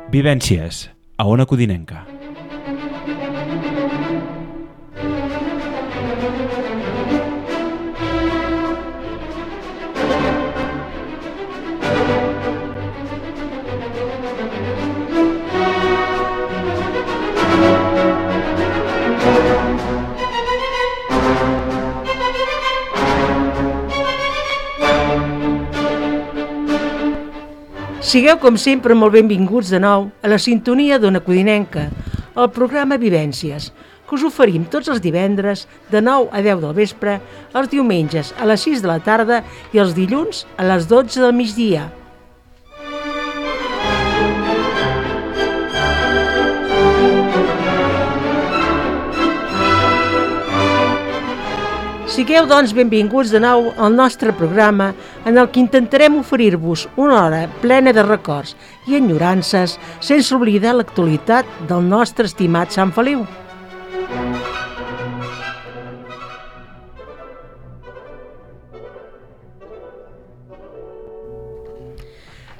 Vivències, a Ona Codinenca. Sigueu, com sempre, molt benvinguts de nou a la sintonia d'Ona Codinenca, el programa Vivències, que us oferim tots els divendres de 9 a 10 del vespre, els diumenges a les 6 de la tarda i els dilluns a les 12 del migdia. Sigueu, doncs, benvinguts de nou al nostre programa en el que intentarem oferir-vos una hora plena de records i enyorances sense oblidar l'actualitat del nostre estimat Sant Feliu.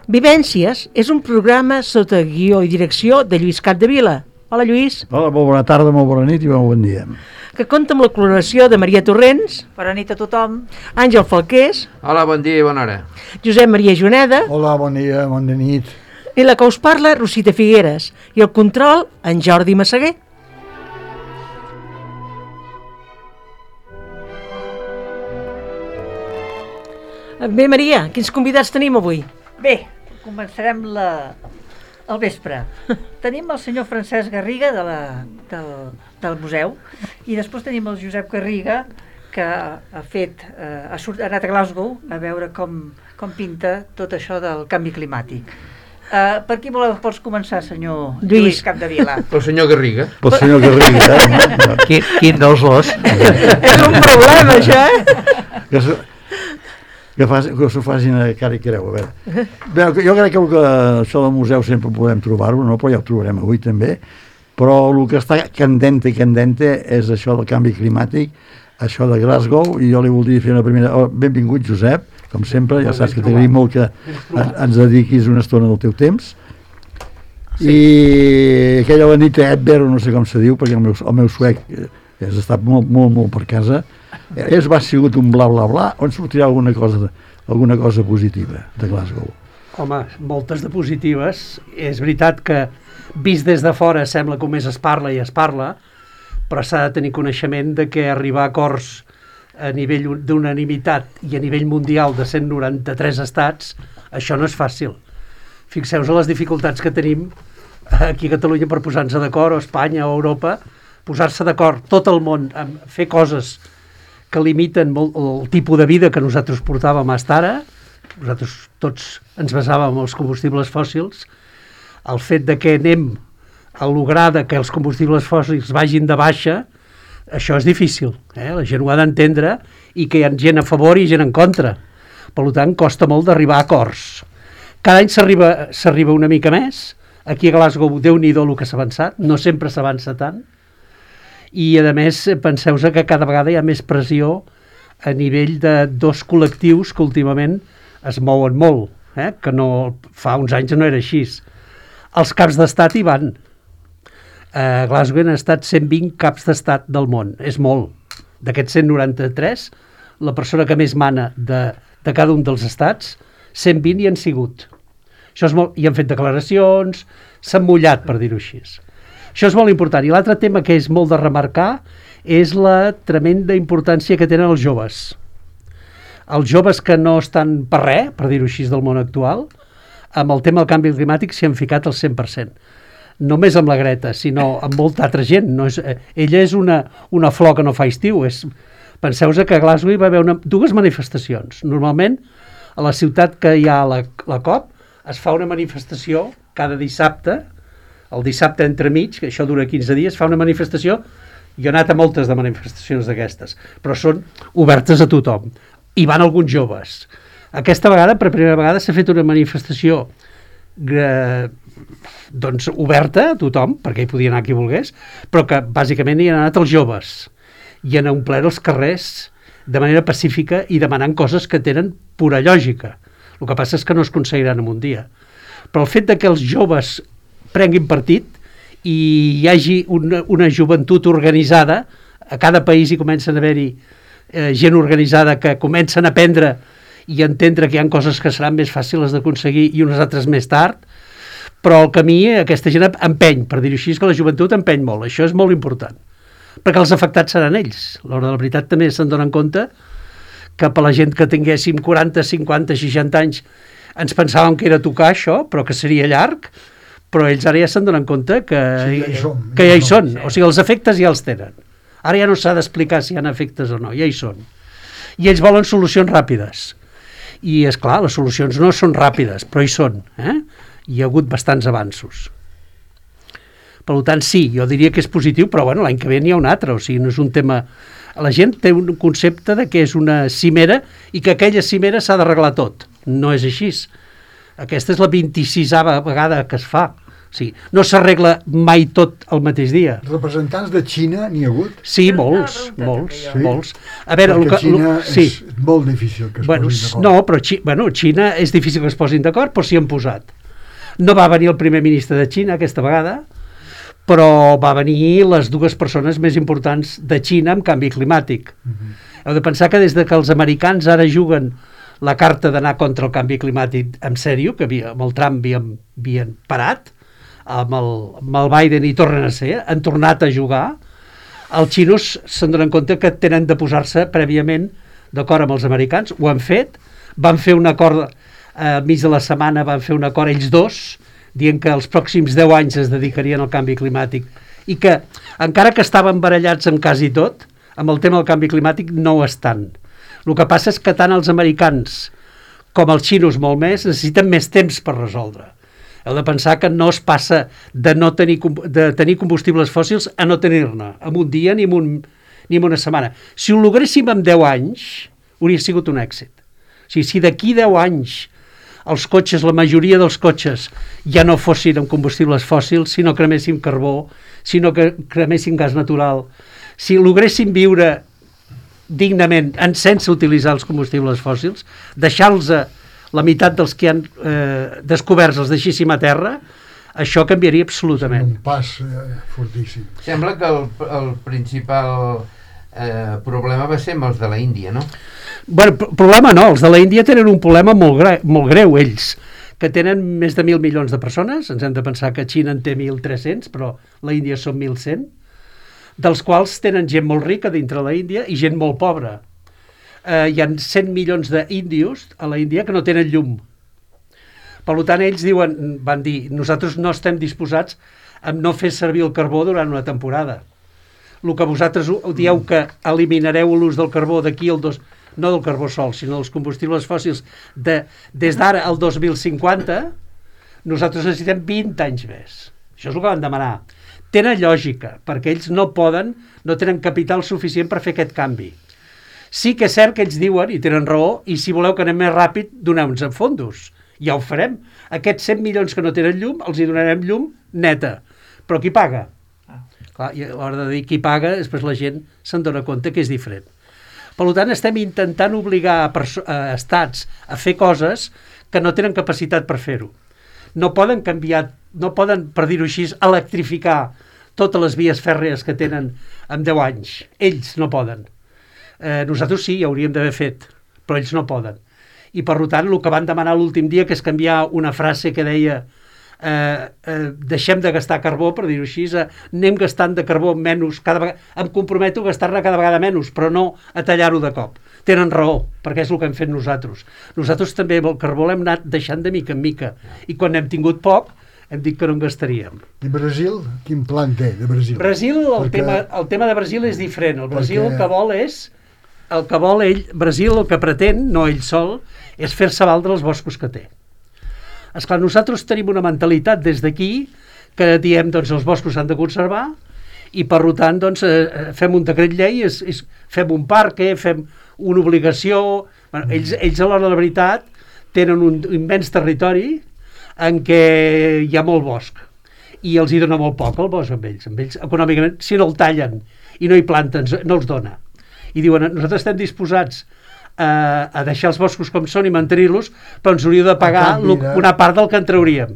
Vivències és un programa sota guió i direcció de Lluís Capdevila. Hola, Lluís. Hola, molt bona tarda, molt bona nit i molt bon dia. Que compta amb la col·laboració de Maria Torrents. Bona nit a tothom. Àngel Falqués. Hola, bon dia i bona hora. Josep Maria Juneda. Hola, bon dia, bona nit. I la que us parla, Rosita Figueres. I el control, en Jordi Massaguer. Bé, Maria, quins convidats tenim avui? Bé, començarem al vespre. Tenim el senyor Francesc Garriga del museu i després tenim el Josep Garriga que ha anat a Glasgow a veure com pinta tot això del canvi climàtic. Per qui vols començar, senyor Lluís Capdevila? Pel senyor Garriga. Pel senyor Garriga, Quin dels dos? És un problema, això, que s'ho facin a cara i creu, a veure. Bé, jo crec que això del museu sempre podem trobar-ho, no? Però ja ho trobarem avui també, però el que està candente és això del canvi climàtic, això de Glasgow, i jo li voldria fer una primera... benvingut, Josep, com sempre, ja saps que t'agraïm molt que ens dediquis una estona del teu temps. I aquella Anita Edberg, no sé com se diu, perquè el meu suec has estat molt per casa, ha sigut un bla bla bla, on sortirà alguna cosa positiva de Glasgow? Home, moltes de positives. És veritat que vist des de fora sembla que només es parla, però s'ha de tenir coneixement de que arribar a acords a nivell d'unanimitat i a nivell mundial de 193 estats, això no és fàcil. Fixeu-vos a les dificultats que tenim aquí a Catalunya per posar-nos d'acord, o a Espanya o a Europa, posar-se d'acord tot el món a fer coses que limiten molt el tipus de vida que nosaltres portàvem fins ara. Nosaltres tots ens basàvem en els combustibles fòssils. El fet de que anem a lograr que els combustibles fòssils vagin de baixa, això és difícil. La gent ho ha d'entendre i que hi ha gent a favor i gent en contra. Per tant, costa molt d'arribar a acords. Cada any s'arriba una mica més. Aquí a Glasgow, Déu-n'hi-do el que s'ha avançat. No sempre s'avança tant. I, a més, penseu que cada vegada hi ha més pressió a nivell de dos col·lectius que últimament es mouen molt, que no, fa uns anys no era així. Els caps d'estat hi van. A Glasgow han estat 120 caps d'estat del món, és molt. D'aquests 193, la persona que més mana de cada un dels estats, 120 hi han sigut. Això és molt, i han fet declaracions, s'han mullat, per dir-ho així. Això és molt important. I l'altre tema que és molt de remarcar és la tremenda importància que tenen els joves. Els joves que no estan per res, per dir-ho així, del món actual, amb el tema del canvi climàtic s'hi han ficat al 100%. Només amb la Greta, sinó amb molta altra gent. Ella és una flor que no fa estiu. Penseu que a Glasgow hi va haver dues manifestacions. Normalment, a la ciutat que hi ha la COP, es fa una manifestació cada dissabte. El dissabte entremig, que això dura 15 dies, fa una manifestació. Jo he anat a moltes de manifestacions d'aquestes, però són obertes a tothom. Hi van alguns joves. Aquesta vegada, per primera vegada, s'ha fet una manifestació oberta a tothom, perquè hi podia anar qui volgués, però que bàsicament hi han anat els joves. I han omplert els carrers de manera pacífica i demanant coses que tenen pura lògica. El que passa és que no es aconseguiran en un dia. Però el fet de que els joves prenguin partit i hi hagi una joventut organitzada. A cada país hi comencen a haver-hi gent organitzada que comencen a aprendre i entendre que hi ha coses que seran més fàcils d'aconseguir i unes altres més tard, però el camí, aquesta gent empeny, per dir-ho així, que la joventut empeny molt. Això és molt important, perquè els afectats seran ells. A l'hora de la veritat també se'n donen compte que per la gent que tinguéssim 40, 50, 60 anys ens pensàvem que era tocar això, però que seria llarg, però ells ara ja se'n donen compte que ja hi són. O sigui, els efectes ja els tenen. Ara ja no s'ha d'explicar si hi ha efectes o no, ja hi són. I ells volen solucions ràpides. I, és clar, les solucions no són ràpides, però hi són. Hi ha hagut bastants avanços. Per tant, sí, jo diria que és positiu, però bueno, l'any que ve n'hi ha un altre, o sigui, no és un tema... La gent té un concepte de que és una cimera i que aquella cimera s'ha d'arreglar tot. No és així. Aquesta és la 26a vegada que es fa. O sigui, no s'arregla mai tot el mateix dia. Representants de Xina n'hi ha hagut? Sí, molts. A veure, perquè Xina és molt difícil que es posin d'acord. No, però Xina és difícil que es posin d'acord, però s'hi han posat. No va venir el primer ministre de Xina aquesta vegada, però va venir les dues persones més importants de Xina en canvi climàtic. Heu de pensar que des de que els americans ara juguen la carta d'anar contra el canvi climàtic en sèrio, que amb el Trump havien parat, amb el Biden hi tornen a ser, han tornat a jugar, els xinos se'n donen compte que tenen de posar-se prèviament d'acord amb els americans, ho han fet, van fer un acord, al mig de la setmana van fer un acord ells dos, dient que els pròxims 10 anys es dedicarien al canvi climàtic i que, encara que estaven barallats en quasi tot, amb el tema del canvi climàtic no ho estan. El que passa és que tant els americans com els xinos molt més necessiten més temps per resoldre. Heu de pensar que no es passa de tenir combustibles fòssils a no tenir-ne, en un dia ni en una setmana. Si ho logréssim en 10 anys, hauria sigut un èxit. O sigui, si d'aquí 10 anys els cotxes, la majoria dels cotxes ja no fossin amb combustibles fòssils, si no creméssim carbó, si no creméssim gas natural, si logréssim viure dignament sense utilitzar els combustibles fòssils, deixar-los la meitat dels que han descoberts els deixéssim a terra, això canviaria absolutament. Un pas fortíssim. Sembla que el principal problema va ser amb els de la Índia, no? Bueno, problema no, els de la Índia tenen un problema molt greu, ells, que tenen més de 1.000 milions de persones, ens hem de pensar que Xina en té 1.300, però la Índia són 1.100, dels quals tenen gent molt rica dintre la Índia i gent molt pobra. Hi ha 100 milions d'índios a la Índia que no tenen llum. Per tant, ells van dir, nosaltres no estem disposats a no fer servir el carbó durant una temporada. El que vosaltres dieu que eliminareu l'ús del carbó d'aquí al no del carbó sol, sinó dels combustibles fòssils des d'ara al 2050, nosaltres necessitem 20 anys més. Això és el que van demanar. Tenen lògica, perquè ells no tenen capital suficient per fer aquest canvi. Sí que és cert que ells diuen, i tenen raó, i si voleu que anem més ràpid, doneu-nos en fondos. Ja ho farem. Aquests 100 milions que no tenen llum, els hi donarem llum neta. Però qui paga? Clar, i a l'hora de dir qui paga, després la gent se'n dona compte que és diferent. Per tant, estem intentant obligar a estats a fer coses que no tenen capacitat per fer-ho. No poden canviar, no poden, per dir-ho així, electrificar totes les vies fèrries que tenen en 10 anys. Ells no poden. Nosaltres sí, ho hauríem d'haver fet, però ells no poden. I per tant, el que van demanar l'últim dia, que és canviar una frase que deia deixem de gastar carbó, per dir-ho així, anem gastant de carbó menys, em comprometo a gastar-ne cada vegada menys, però no a tallar-ho de cop. Tenen raó, perquè és el que hem fet nosaltres. Nosaltres també el carbó l'hem anat deixant de mica en mica, i quan hem tingut poc, hem dit que no en gastaríem. I Brasil, quin plan té de Brasil? Brasil, el tema de Brasil és diferent. El Brasil el que vol ell, Brasil el que pretén, no ell sol, és fer-se valdre els boscos que té. Esclar, nosaltres tenim una mentalitat des d'aquí que diem, doncs, els boscos s'han de conservar i, per tant, doncs, fem un decret llei, fem un parc, fem una obligació... Bueno, ells, a l'hora de la veritat, tenen un immens territori en què hi ha molt bosc i els hi dona molt poc el bosc amb ells. Econòmicament, si no el tallen i no hi planten, no els dona. I diuen, nosaltres estem disposats a deixar els boscos com són i mantenir-los, però ens hauríeu de pagar una part del que en trauríem.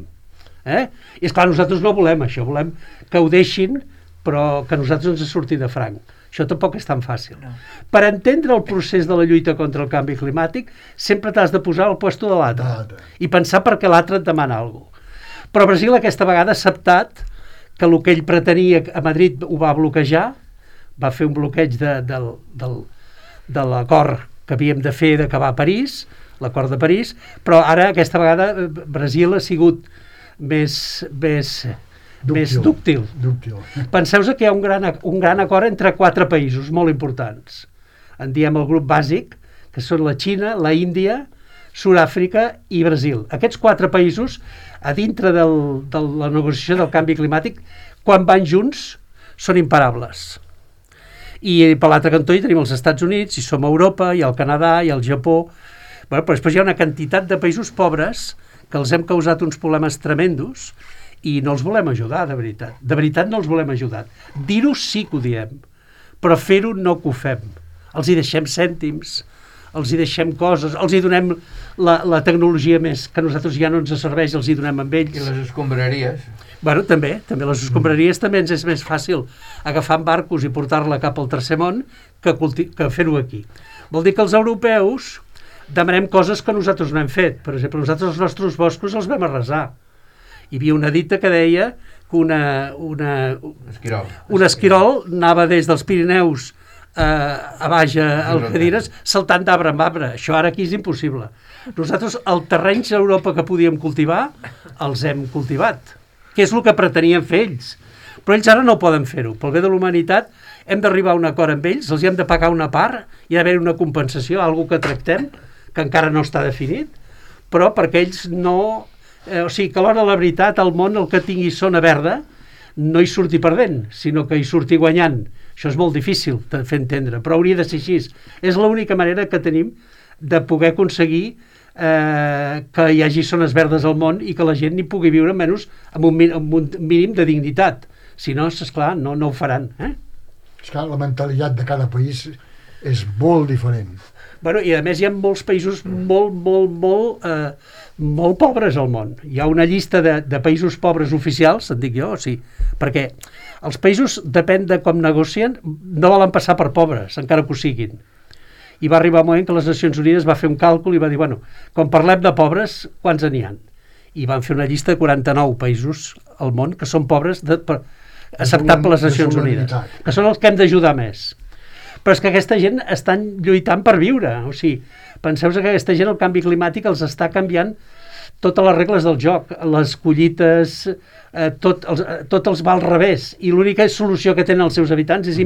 I esclar, nosaltres no volem això, volem que ho deixin, però que nosaltres ens surti de franc. Això tampoc és tan fàcil. No. Per entendre el procés de la lluita contra el canvi climàtic, sempre t'has de posar al puesto de l'altre i pensar per què l'altre et demana alguna cosa. Però Brasil aquesta vegada ha acceptat que el que ell pretenia a Madrid ho va bloquejar, va fer un bloqueig de l'acord que havíem de fer d'acabar a París, l'acord de París, però ara aquesta vegada Brasil ha sigut més dúctil. Penseu que hi ha un gran acord entre 4 països molt importants. En diem el grup bàsic, que són la Xina, la Índia, Sud-àfrica i Brasil. Aquests 4 països, a dintre de la negociació del canvi climàtic, quan van junts, són imparables. I per l'altre cantó hi tenim els Estats Units, hi som a Europa, hi ha el Canadà, hi ha el Japó. Però després hi ha una quantitat de països pobres que els hem causat uns problemes tremendos i no els volem ajudar, de veritat. De veritat no els volem ajudar. Dir-ho sí que ho diem, però fer-ho no que ho fem. Els hi deixem cèntims, els hi deixem coses, els hi donem la tecnologia més que a nosaltres ja no ens serveix, els hi donem amb ells. I les escombraries? Bueno, també les escombraries també ens és més fàcil agafar en barcos i portar-la cap al tercer món que fer-ho aquí. Vol dir que els europeus demanem coses que nosaltres no hem fet. Per exemple, nosaltres els nostres boscos els vam arrasar. Hi havia una dita que deia que un esquirol anava des dels Pirineus a baix a Algeciras saltant d'arbre en arbre. Això ara aquí és impossible. Nosaltres els terrenys a Europa que podíem cultivar els hem cultivat, que és el que pretenien fer ells. Però ells ara no poden fer-ho. Pel bé de la humanitat hem d'arribar a un acord amb ells, els hi hem de pagar una part, hi ha d'haver una compensació, alguna que tractem, que encara no està definit, però perquè ells no... O sigui, que a l'hora de la veritat, el món, el que tingui zona verda, no hi surti perdent, sinó que hi surti guanyant. Això és molt difícil de fer entendre, però hauria de ser així. És l'única manera que tenim de poder aconseguir que hi hagi zones verdes al món i que la gent hi pugui viure menys amb un mínim de dignitat. Si no, esclar, no ho faran. És que la mentalitat de cada país és molt diferent. Bueno, i a més hi ha molts països molt pobres al món. Hi ha una llista de països pobres oficials, et dic jo, sí, perquè els països, depèn de com negocien, no volen passar per pobres, encara que ho siguin. I va arribar un moment que les Nacions Unides va fer un càlcul i va dir, bueno, quan parlem de pobres, quants n'hi ha? I van fer una llista de 49 països al món que són pobres acceptat per les Nacions Unides, que són els que hem d'ajudar més. Però és que aquesta gent estan lluitant per viure. O sigui, penseu que aquesta gent, el canvi climàtic, els està canviant totes les regles del joc, les collites, tot els va al revés. I l'única solució que tenen els seus habitants és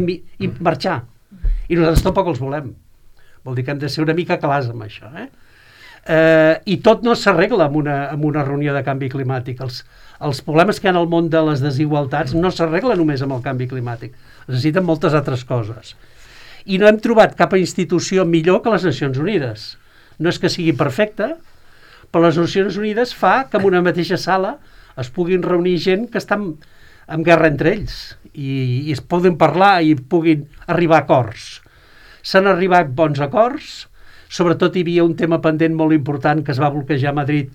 marxar. I nosaltres tampoc els volem. Vol dir que hem de ser una mica clars amb això. I tot no s'arregla amb una reunió de canvi climàtic. Els problemes que hi ha al món de les desigualtats no s'arreglen només amb el canvi climàtic. Necessiten moltes altres coses. I no hem trobat cap institució millor que les Nacions Unides. No és que sigui perfecta, però les Nacions Unides fa que en una mateixa sala es puguin reunir gent que està en guerra entre ells i es poden parlar i puguin arribar a acords. S'han arribat bons acords, sobretot hi havia un tema pendent molt important que es va bloquejar a Madrid,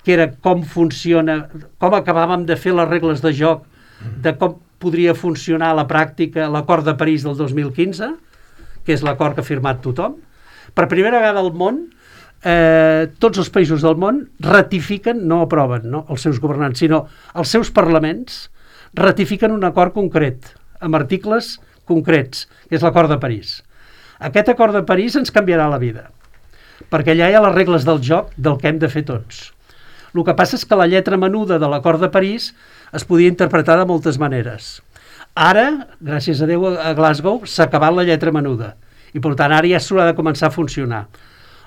que era com funciona, com acabàvem de fer les regles de joc, de com podria funcionar a la pràctica l'acord de París del 2015, que és l'acord que ha firmat tothom. Per primera vegada al món, tots els països del món ratifiquen, no aproven, no els seus governants, sinó els seus parlaments ratifiquen un acord concret, amb articles concrets, que és l'acord de París. Aquest acord de París ens canviarà la vida, perquè allà hi ha les regles del joc del que hem de fer tots. El que passa és que la lletra menuda de l'acord de París es podia interpretar de moltes maneres. Ara, gràcies a Déu, a Glasgow s'ha acabat la lletra menuda i per tant ara ja s'haurà de començar a funcionar.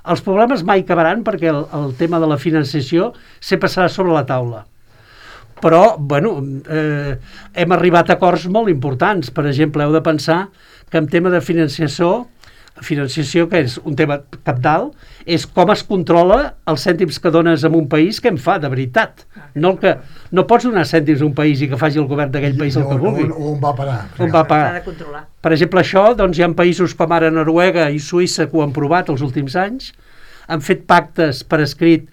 Els problemes mai acabaran perquè el tema de la financiació sempre serà sobre la taula. Però, bueno, hem arribat a acords molt importants. Per exemple, heu de pensar que en tema de financiació, que és un tema cabdal, és com es controla els cèntims que dones en un país, que en fa, de veritat. No pots donar cèntims a un país i que faci el govern d'aquell país el que vulgui. On va parar? On va parar. Per exemple, això, doncs hi ha països com ara Noruega i Suïssa que ho han provat els últims anys, han fet pactes per escrit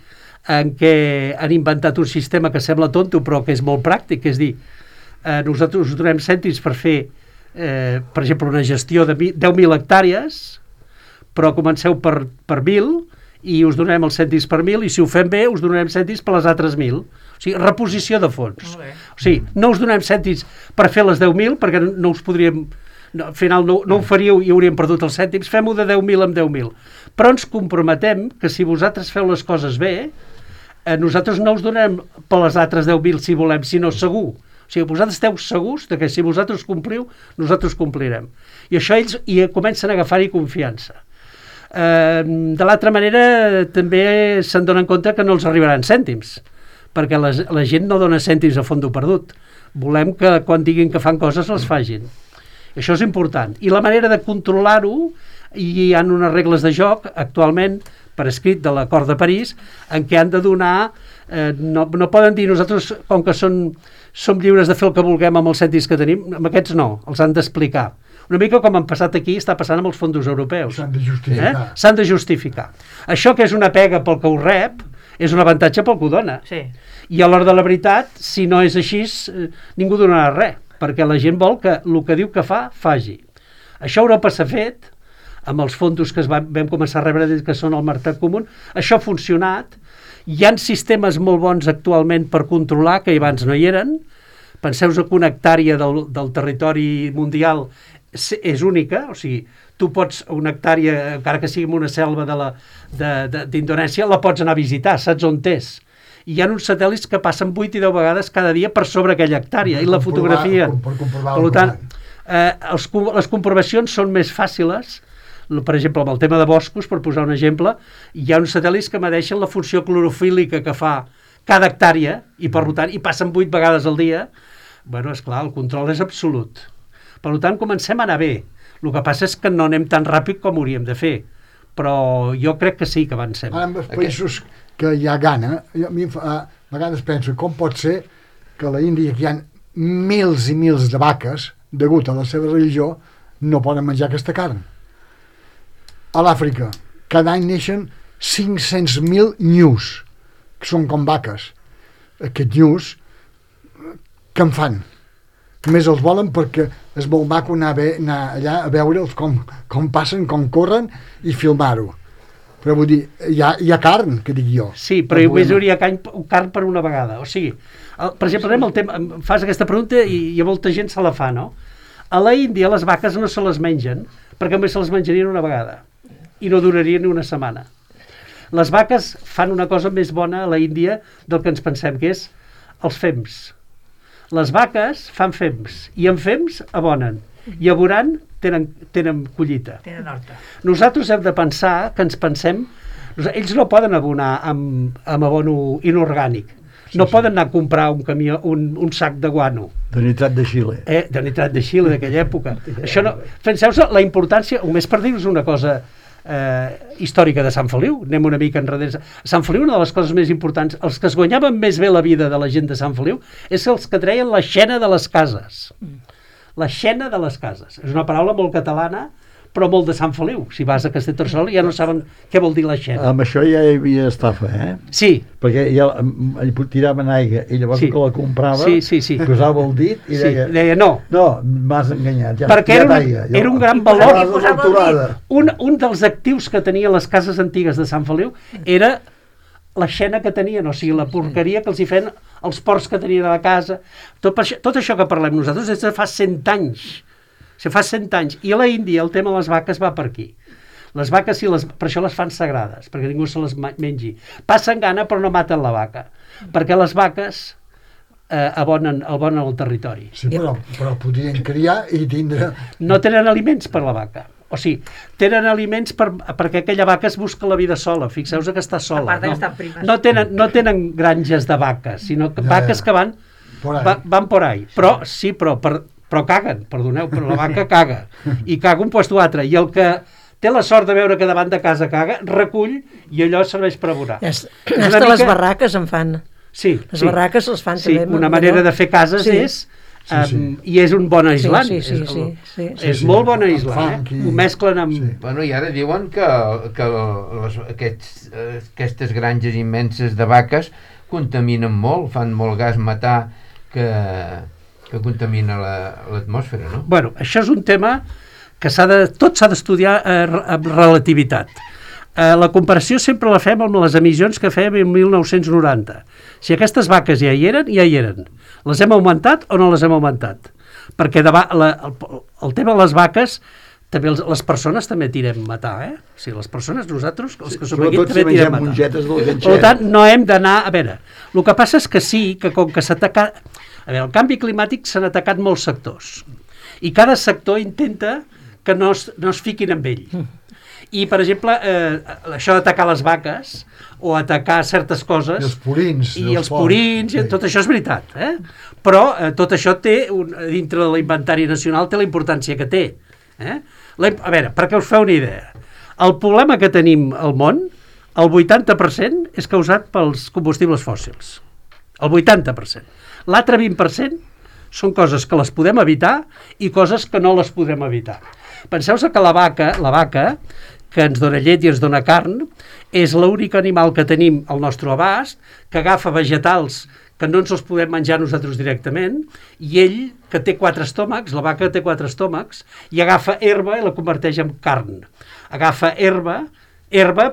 en què han inventat un sistema que sembla tonto però que és molt pràctic, és dir, nosaltres us donem cèntims per fer, per exemple, una gestió de 10.000 hectàrees, però comenceu per 1.000 i us donarem els cèntims per 1.000 i si ho fem bé us donarem cèntims per les altres 1.000. O sigui, reposició de fons. O sigui, no us donem cèntims per fer les 10.000 perquè no us podríem... No, al final no ho faríeu i hauríem perdut els cèntims, fem-ho de 10.000 en 10.000. Però ens comprometem que si vosaltres feu les coses bé, nosaltres no us donarem per les altres 10.000 si volem, sinó segur. O sigui, vosaltres esteu segurs de que si vosaltres compliu, nosaltres complirem. I això ells hi comencen a agafar-hi confiança. De l'altra manera, també se'n donen compte que no els arribaran cèntims, perquè la gent no dona cèntims a fondo perdut. Volem que quan diguin que fan coses les facin. Això és important. I la manera de controlar-ho, hi ha unes regles de joc actualment per escrit de l'Acord de París en què han de donar, no poden dir nosaltres com que som lliures de fer el que vulguem amb els cèntims que tenim, amb aquests no, els han d'explicar. Una mica com han passat aquí, està passant amb els fons europeus. S'han de justificar. S'han de justificar. Això que és una pega pel que ho rep, és un avantatge pel que ho dona. Sí. I a l'hora de la veritat, si no és així, ningú donarà res, perquè la gent vol que el que diu que fa, faci. Això a Europa s'ha fet, amb els fons que vam començar a rebre des que són al mercat comú, això ha funcionat, hi ha sistemes molt bons actualment per controlar, que abans no hi eren. Penseu que una hectàrea del territori mundial és única, o sigui, tu pots una hectàrea, encara que sigui una selva d'Indonèsia, la pots anar a visitar, saps on és. I hi ha uns satèl·lits que passen 8 i 10 vegades cada dia per sobre aquella hectàrea, i la fotografia. Per tant, les comprovacions són més fàcils. Per exemple, amb el tema de boscos, per posar un exemple, hi ha uns satèl·lits que medeixen la funció clorofílica que fa cada hectàrea, i per tant, i passen 8 vegades al dia. Bueno, esclar, el control és absolut. Per tant, comencem a anar bé. El que passa és que no anem tan ràpid com hauríem de fer, però jo crec que sí que avancem. Ara, en els països que hi ha gana, a mi a vegades penso com pot ser que a la Índia, que hi ha mils i mils de vaques, degut a la seva religió, no poden menjar aquesta carn. A l'Àfrica, cada any neixen 500.000 nyus, que són com vaques. Aquests nyus, què en fan? Més els volen perquè és molt maco anar allà a veure'ls com passen, com corren i filmar-ho. Però vull dir, hi ha carn, que dic jo. Sí, però només hi hauria carn per una vegada. O sigui, per exemple, anem al tema, fas aquesta pregunta i molta gent se la fa, no? A la Índia les vaques no se les mengen, perquè només se les menjarien una vegada i no durarien ni una setmana. Les vaques fan una cosa més bona a la Índia del que ens pensem, que és els fems. Les vaques fan fems, i en fems abonen, i aborant tenen collita. Tenen horta. Nosaltres hem de pensar que ens pensem... Ells no poden abonar amb abono inorgànic. No poden anar a comprar un camió, un sac de guano. De nitrat de Xile. De nitrat de Xile d'aquella època. Això no... Penseu la importància, només per dir-vos una cosa històrica de Sant Feliu, anem una mica enrere. Sant Feliu, una de les coses més importants, els que es guanyaven més bé la vida de la gent de Sant Feliu, és els que treien la xena de les cases. La xena de les cases. És una paraula molt catalana, però molt de Sant Feliu. Si vas a Castellterçol ja no saben què vol dir la xena. Amb això ja hi havia estafa, Sí. Perquè ja tiraven aigua i llavors que la comprava, posava el dit i deia no. No, m'has enganyat. Perquè era un gran valor. Un dels actius que tenien les cases antigues de Sant Feliu era la xena que tenien, o sigui, la porqueria que els hi feien els porcs que tenien a la casa. Tot això que parlem nosaltres és de fa 100 anys. Fa 100 anys. I a la Índia el tema de les vaques va per aquí. Les vaques, per això les fan sagrades, perquè ningú se les mengi. Passen gana però no maten la vaca, perquè les vaques abonen el territori. Sí, però podrien criar i tindre... No tenen aliments per la vaca. O sigui, tenen aliments perquè aquella vaca es busca la vida sola. Fixeu-vos que està sola. No tenen granges de vaques, sinó vaques que van por ahí. Però caguen, perdoneu, però la vaca caga. I caga un lloc o altre. I el que té la sort de veure que davant de casa caga, recull i allò serveix per abonar. Hasta les barraques en fan. Sí. Les barraques les fan també. Una manera de fer cases és I és un bon aislant. Sí. És molt bon aislant, Funk i- Ho mesclen amb... Sí. Bueno, i ara diuen que aquestes granges immenses de vaques contaminen molt, fan molt gas metà que contamina l'atmosfera, no? Bueno, això és un tema que tot s'ha d'estudiar amb relativitat. La comparació sempre la fem amb les emissions que fèiem en 1990. Si aquestes vaques ja hi eren, ja hi eren. Les hem augmentat o no les hem augmentat? Perquè el tema de les vaques, també les persones també tirem matar, O sigui, les persones, nosaltres, els que som aquí, també tirem matar. mongetes del ganxet. Per tant, no hem d'anar... A veure, el que passa és que sí, que com que s'ataca... A veure, el canvi climàtic s'han atacat molts sectors. I cada sector intenta que no es fiquin amb ell. I, per exemple, això d'atacar les vaques o atacar certes coses... I els purins. I els purins, i tot això és veritat. Però tot això té, dintre de l'inventari nacional, té la importància que té. A veure, perquè us feu una idea. El problema que tenim al món, el 80% és causat pels combustibles fòssils. El 80%. L'altre 20% són coses que les podem evitar i coses que no les podem evitar. Penseu-vos que la vaca, que ens dona llet i ens dona carn, és l'únic animal que tenim al nostre abast, que agafa vegetals que no ens els podem menjar nosaltres directament, i ell, que té 4 estómacs, la vaca té 4 estómacs, i agafa herba i la converteix en carn. Agafa herba,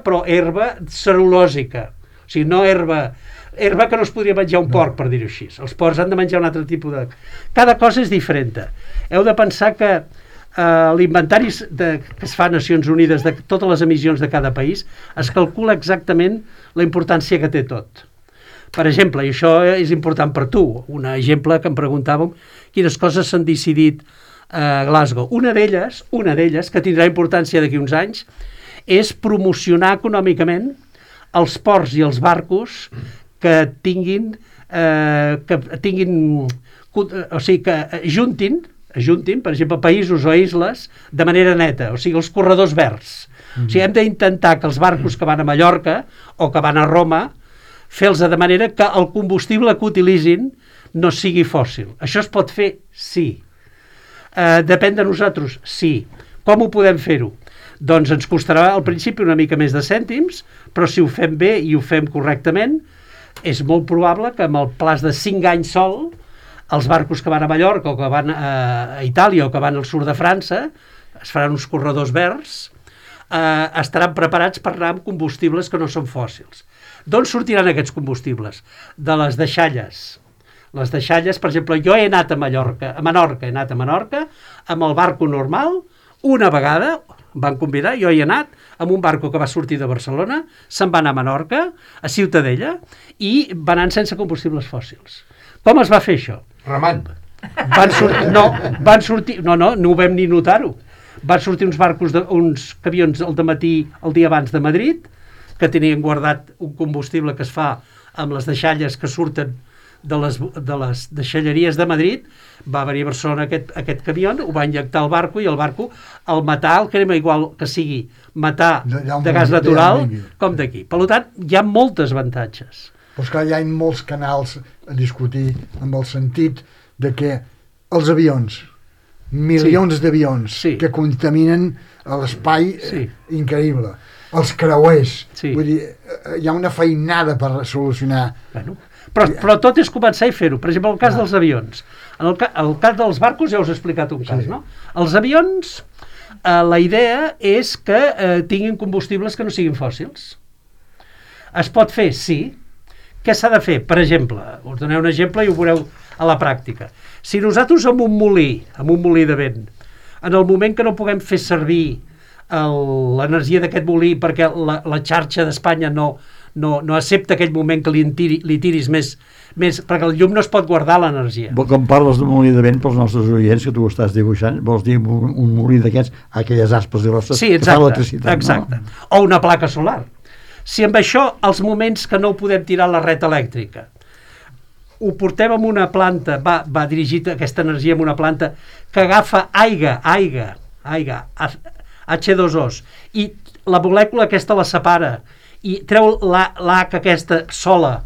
però herba cel·lulòsica. O sigui, no herba que no es podria menjar un porc, per dir-ho així. Els porcs han de menjar un altre tipus de... Cada cosa és diferent. Heu de pensar que l'inventari que es fa a Nacions Unides de totes les emissions de cada país es calcula exactament la importància que té tot. Per exemple, i això és important per tu, un exemple que em preguntàvem quines coses s'han decidit a Glasgow. Una d'elles, que tindrà importància d'aquí uns anys, és promocionar econòmicament els ports i els barcos que tinguin, o sigui, que ajuntin, per exemple, països o isles de manera neta, o sigui, els corredors verds. O sigui, hem d'intentar que els barcos que van a Mallorca o que van a Roma, fer-los de manera que el combustible que utilitzin no sigui fòssil. Això es pot fer? Sí. Depèn de nosaltres? Sí. Com ho podem fer-ho? Doncs ens costarà al principi una mica més de cèntims, però si ho fem bé i ho fem correctament, és molt probable que amb el plaç de 5 anys sol, els barcos que van a Mallorca o que van a Itàlia o que van al sud de França, es faran uns corredors verds, estaran preparats per anar amb combustibles que no són fòssils. D'on sortiran aquests combustibles? De les deixalles. Les deixalles, per exemple, jo he anat a Menorca, amb el barco normal, una vegada, van convidar, jo hi he anat, amb un barco que va sortir de Barcelona, se'n va anar a Menorca, a Ciutadella, i van anar sense combustibles fòssils. Com es va fer això? Remant. No ho vam ni notar-ho. Van sortir uns camions al dematí, el dia abans de Madrid, que tenien guardat un combustible que es fa amb les deixalles que surten de les deixalleries de Madrid. Va venir a Barcelona aquest camió, ho va injectar al barco, i el barco, al matar, el crema igual que sigui matar de gas natural com d'aquí. Per tant, hi ha moltes avantatges. Però esclar, hi ha molts canals a discutir amb el sentit de que els avions, milions d'avions que contaminen l'espai increïble, els creuers, vull dir, hi ha una feinada per solucionar. Però tot és començar i fer-ho. Per exemple, el cas dels avions. En el cas dels barcos ja us he explicat un cas, no? Els avions, la idea és que tinguin combustibles que no siguin fòssils. Es pot fer? Sí. Què s'ha de fer? Per exemple, us doneu un exemple i ho veureu a la pràctica. Si nosaltres amb un molí de vent, en el moment que no puguem fer servir l'energia d'aquest molí perquè la xarxa d'Espanya no accepta aquell moment que li tiris més, perquè el llum no es pot guardar l'energia. Com parles d'un molí de vent pels nostres oients, que tu ho estàs dibuixant, vols dir un molí d'aquests, aquelles aspes grosses que fan electricitat. Exacte. O una placa solar. Si amb això, els moments que no podem tirar la red elèctrica, ho portem amb una planta, va dirigit aquesta energia amb una planta que agafa aigua, H2O, i la molècula aquesta la separa i treu l'H aquesta sola,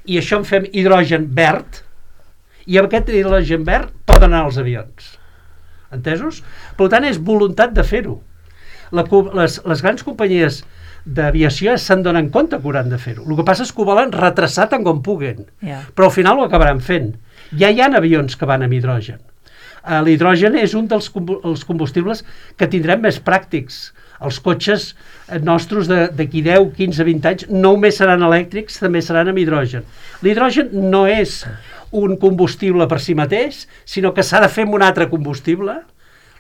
i això en fem hidrogen verd, i amb aquest hidrogen verd poden anar els avions. Entesos? Per tant, és voluntat de fer-ho. Les grans companyies d'aviació se'n donen compte que hauran de fer-ho. El que passa és que ho volen retrasar tant com puguen, però al final ho acabaran fent. Ja hi ha avions que van amb hidrogen. L'hidrogen és un dels combustibles que tindrem més pràctics. Els cotxes nostres d'aquí 10, 15, 20 anys no només seran elèctrics, també seran amb hidrogen. L'hidrogen no és un combustible per si mateix, sinó que s'ha de fer amb un altre combustible,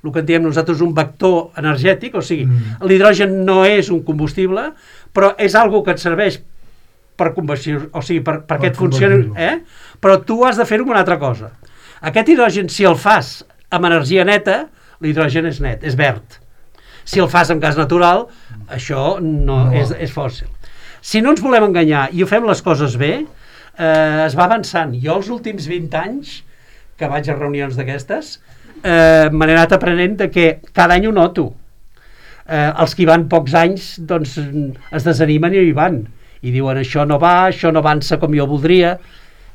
el que en diem nosaltres un vector energètic, o sigui, l'hidrogen no és un combustible, però és algo que et serveix per conversió, o sigui, perquè et funcioni, però tu has de fer-ho amb una altra cosa. Aquest hidrogen, si el fas amb energia neta, l'hidrogen és net, és verd. Si el fas amb gas natural, això no. És fòssil. Si no ens volem enganyar i ho fem les coses bé, es va avançant. Jo els últims 20 anys que vaig a reunions d'aquestes, m'he anat aprenent de que cada any ho noto. Els que hi van pocs anys doncs es desanimen i hi van i diuen això no avança com jo voldria.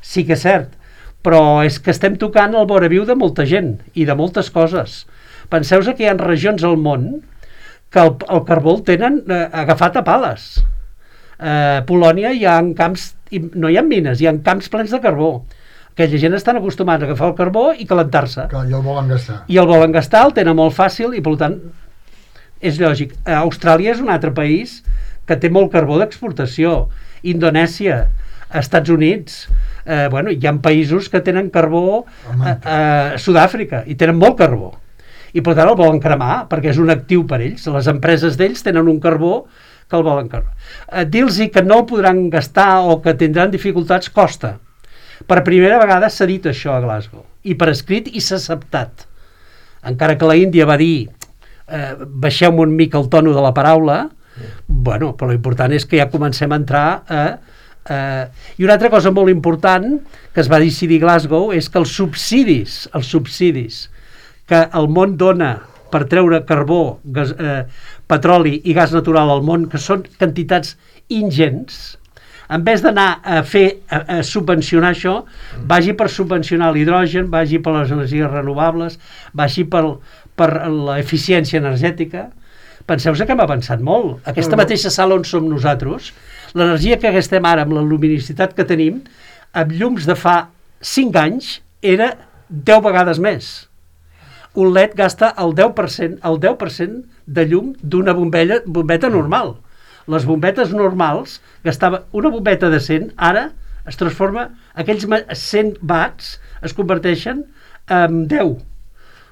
Sí que és cert, però és que estem tocant el voraviu de molta gent i de moltes coses. Penseu que hi ha regions al món que el carbó el tenen agafat a pales. Polònia hi ha camps, no hi ha mines, hi ha camps plens de carbó. Aquella gent estan acostumats a agafar el carbó i calentar-se. I el volen gastar. I el volen gastar, el tenen molt fàcil i, per tant, és lògic. Austràlia és un altre país que té molt carbó d'exportació. Indonèsia, Estats Units, hi ha països que tenen carbó, Sud-àfrica, i tenen molt carbó. I, per tant, el volen cremar, perquè és un actiu per ells. Les empreses d'ells tenen un carbó que el volen cremar. Dir-los que no el podran gastar o que tindran dificultats costa. Per primera vegada s'ha dit això a Glasgow, i per escrit i s'ha acceptat. Encara que la Índia va dir baixeu-me un mica el tono de la paraula, però l'important és que ja comencem a entrar I una altra cosa molt important que es va decidir a Glasgow és que els subsidis que el món dona per treure carbó, petroli i gas natural al món, que són quantitats ingents, en vez d'anar a subvencionar això, vagi per subvencionar l'hidrogen, vagi per les energies renovables, vagi per l'eficiència energètica. Penseu que hem avançat molt. Aquesta mateixa sala on som nosaltres, l'energia que gastem ara amb la luminositat que tenim, amb llums de fa 5 anys, era 10 vegades més. Un LED gasta el 10% de llum d'una bombeta normal. Les bombetes normals, una bombeta de 100, ara es transforma, aquells 100 watts es converteixen en 10.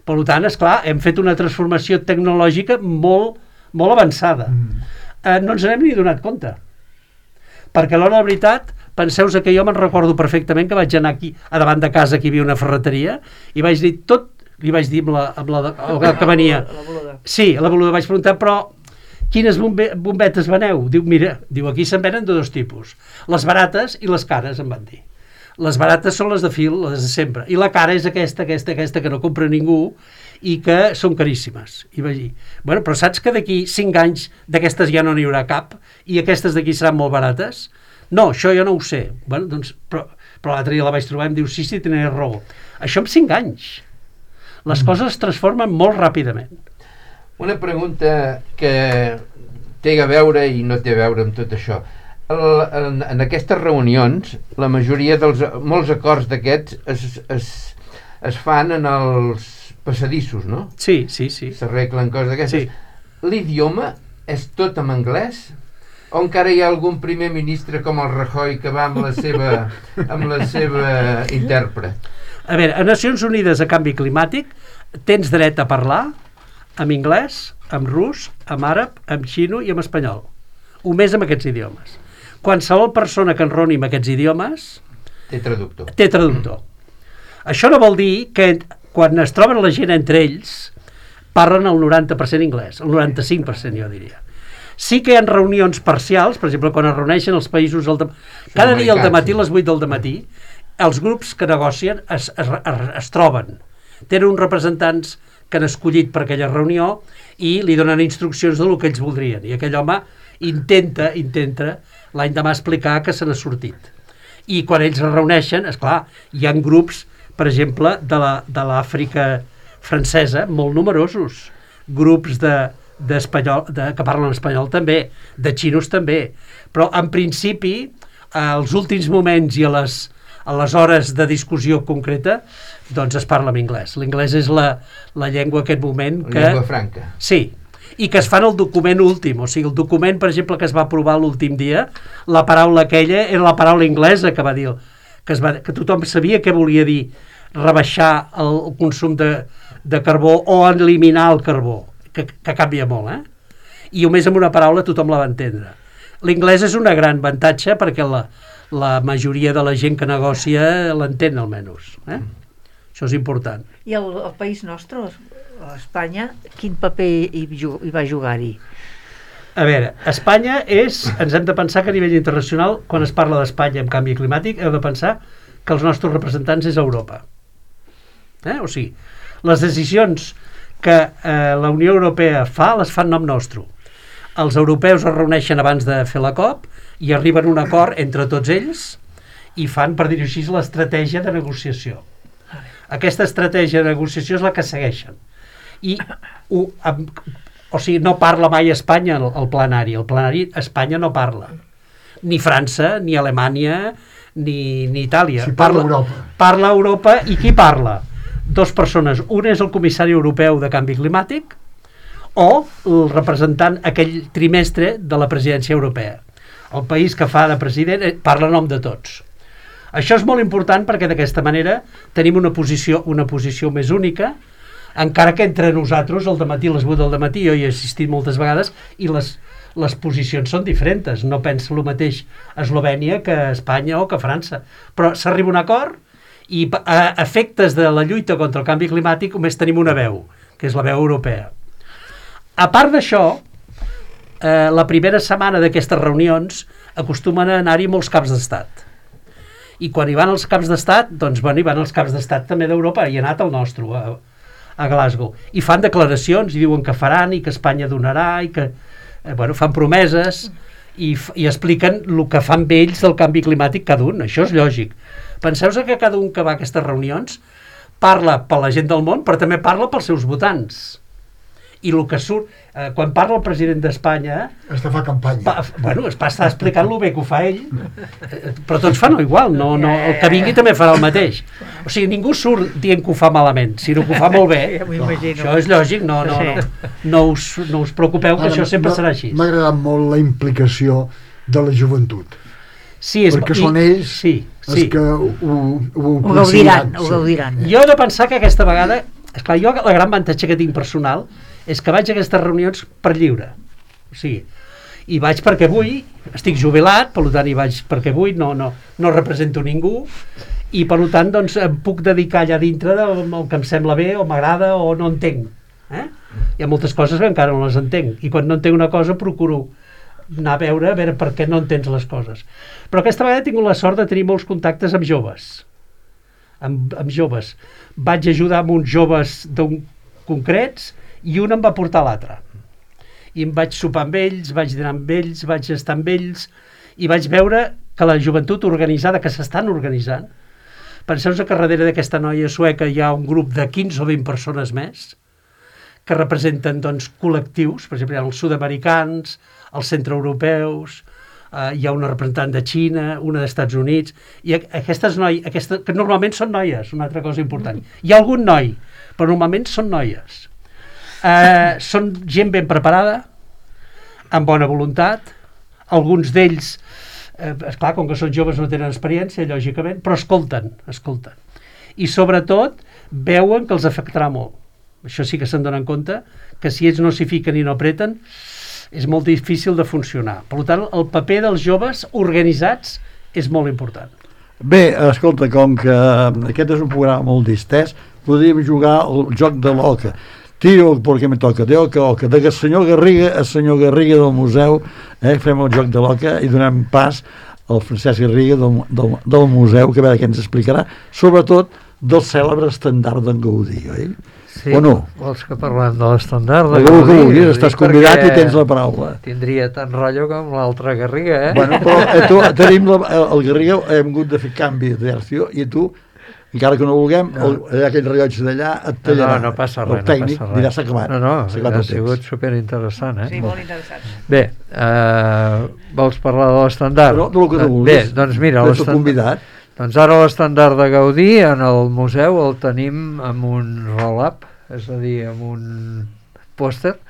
Per tant, esclar, hem fet una transformació tecnològica molt, molt avançada. No ens n'hem ni donat compte. Perquè a l'hora de veritat, penseu que jo me'n recordo perfectament que vaig anar aquí, a davant de casa, que hi havia una ferreteria, i vaig dir li vaig dir amb la que venia. Sí, a la boluda vaig preguntar, però quines bombetes veneu? Diu, mira, aquí se'n venen de 2 tipus. Les barates i les cares, em van dir. Les barates són les de fil, les de sempre. I la cara és aquesta que no compra ningú i que són caríssimes. I vaig dir, però saps que d'aquí 5 anys d'aquestes ja no n'hi haurà cap i aquestes d'aquí seran molt barates? No, això jo no ho sé. Però l'altre dia la vaig trobar i em diu, sí, tenies raó. Això en 5 anys. Les coses es transformen molt ràpidament. Una pregunta que té a veure i no té a veure amb tot això. En aquestes reunions, la majoria molts acords d'aquests es fan en els passadissos, no? Sí. S'arreglen coses d'aquestes. Sí. L'idioma és tot en anglès? O encara hi ha algun primer ministre com el Rajoy que va amb la seva intèrpret? A veure, a Nacions Unides a Canvi Climàtic tens dret a parlar en anglès, en rus, en àrab, en xino i en espanyol. O més amb aquests idiomes. Qualsevol persona que enroni amb aquests idiomes té traductor. Això no vol dir que quan es troben la gent entre ells parlen el 90% anglès, el 95% jo diria. Sí que hi ha reunions parcials, per exemple, quan es reuneixen els països cada dia al dematí, a les 8 del dematí, els grups que negocien es troben. Tenen uns representants que han escollit per aquella reunió i li donen instruccions del que ells voldrien. I aquell home intenta l'any demà explicar que se n'ha sortit. I quan ells es reuneixen, esclar, hi ha grups, per exemple, de l'Àfrica francesa, molt numerosos, grups d'espanyol, que parlen espanyol també, de xinos també, però en principi, als últims moments i a les hores de discussió concreta, doncs es parla en anglès. L'anglès és la llengua en aquest moment que... La llengua franca. Sí, i que es fa en el document últim, o sigui, el document, per exemple, que es va aprovar l'últim dia, la paraula aquella era la paraula anglesa que va dir, que tothom sabia què volia dir rebaixar el consum de carbó o eliminar el carbó, que canvia molt, I només amb una paraula tothom la va entendre. L'anglès és una gran avantatge perquè la majoria de la gent que negocia l'entén almenys, Això és important. I el país nostre, Espanya, quin paper hi va jugar-hi? A veure, Espanya ens hem de pensar que a nivell internacional, quan es parla d'Espanya en canvi climàtic, heu de pensar que els nostres representants és Europa. O sigui, les decisions que la Unió Europea fa, les fa en nom nostre. Els europeus es reuneixen abans de fer la COP i arriben a un acord entre tots ells i fan, per dir-ho així, l'estratègia de negociació. Aquesta estratègia de negociació és la que segueixen. I, o sigui, no parla mai Espanya al plenari. El plenari Espanya no parla. Ni França, ni Alemanya, ni Itàlia. Si parla Europa. Parla Europa, i qui parla? Dues persones. Un és el comissari europeu de canvi climàtic o el representant aquell trimestre de la presidència europea. El país que fa de president parla en nom de tots. Això és molt important perquè d'aquesta manera tenim una posició més única, encara que entre nosaltres al dematí, a les 8 del dematí, jo hi he assistit moltes vegades i les posicions són diferents. No pensa el mateix Eslovènia que Espanya o que França. Però s'arriba a un acord i a efectes de la lluita contra el canvi climàtic només tenim una veu, que és la veu europea. A part d'això, la primera setmana d'aquestes reunions acostumen a anar-hi molts caps d'estat. I quan hi van els caps d'estat, doncs hi van els caps d'estat també d'Europa, hi ha anat el nostre, a Glasgow. I fan declaracions, i diuen que faran, i que Espanya donarà, i que fan promeses, i expliquen el que fan ells del canvi climàtic cada un. Això és lògic. Penseu-vos que cada un que va a aquestes reunions parla per la gent del món, però també parla pels seus votants. I el que surt, quan parla el president d'Espanya... Està fa campanya. Està explicant el bé que ho fa ell, però tots fan igual, no, el que vingui també farà el mateix. O sigui, ningú surt dient que ho fa malament, sinó que ho fa molt bé. Això és lògic, no us preocupeu, que això sempre serà així. M'ha agradat molt la implicació de la joventut. Sí, perquè són ells els que ho gaudiran. Jo he de pensar que aquesta vegada, esclar, jo la gran avantatge que tinc personal és que vaig a aquestes reunions per lliure. O sigui, i vaig perquè vull, estic jubilat, per tant hi vaig perquè vull, no represento ningú, i per tant doncs em puc dedicar allà dintre del que em sembla bé, o m'agrada, o no entenc. Hi ha moltes coses que encara no les entenc, i quan no entenc una cosa procuro anar a veure per què no entens les coses. Però aquesta vegada he tingut la sort de tenir molts contactes amb joves. Amb joves. Vaig ajudar amb uns joves concrets, i un em va portar l'altre. I em vaig sopar amb ells, vaig dinar amb ells, vaig estar amb ells, i vaig veure que la joventut organitzada, que s'estan organitzant, penseu-vos que darrere d'aquesta noia sueca hi ha un grup de 15 o 20 persones més, que representen col·lectius, per exemple, hi ha els sud-americans, els centreeuropeus, hi ha una representant de Xina, una dels Estats Units, i aquestes noies, que normalment són noies, una altra cosa important. Hi ha algun noi, però normalment són noies. Són gent ben preparada, amb bona voluntat, alguns d'ells, esclar, com que són joves no tenen experiència, lògicament, però escolten. I sobretot veuen que els afectarà molt. Això sí que se'n donen compte, que si ells no s'hi fiquen i no apreten, és molt difícil de funcionar. Per tant, el paper dels joves organitzats és molt important. Bé, escolta, com que aquest és un programa molt distès, podríem jugar el joc de l'oca. Tiro perquè me toca, de oca, de senyor Garriga a senyor Garriga del museu, fem el joc de l'oca i donem pas al Francesc Garriga del museu, que a veure què ens explicarà, sobretot del cèlebre estendard d'en Gaudí, oi? Sí, o no? Vols que parlem de l'estendard de Gaudí? Que vulguis, estàs convidat i tens la paraula. Tindria tant rotllo com l'altre Garriga, Bueno, però tenim el Garriga, hem hagut de fer canvi de versió, i tu encara que no vulguem, aquell rellotge d'allà et tallarà. No passa res. El tècnic no passa res. dirà s'ha acabat. S'ha acabat ha el sigut temps. superinteressant, Sí, molt interessant. Bé, vols parlar de l'estandard? Però del que tu vulguis. Bé, doncs mira, Ets el convidat. doncs ara l'estandard de Gaudí en el museu el tenim amb un roll-up, és a dir, amb un pòster,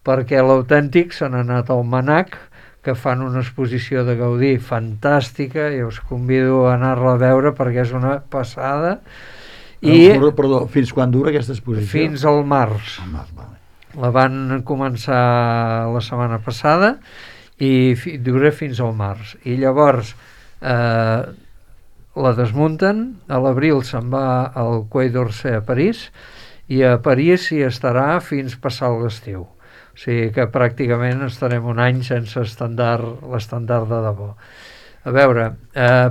perquè l'autèntic se n'ha anat al Manac, que fan una exposició de Gaudí fantàstica i us convido a anar-la a veure perquè és una passada. Perdó, fins quan dura aquesta exposició? Fins al març. Vale. La van començar la setmana passada i dura fins al març. I llavors la desmunten, a l'abril se'n va al Quai d'Orsay a París i a París hi estarà fins passar l'estiu. O sigui que pràcticament estarem un any sense l'estandard de debò. A veure,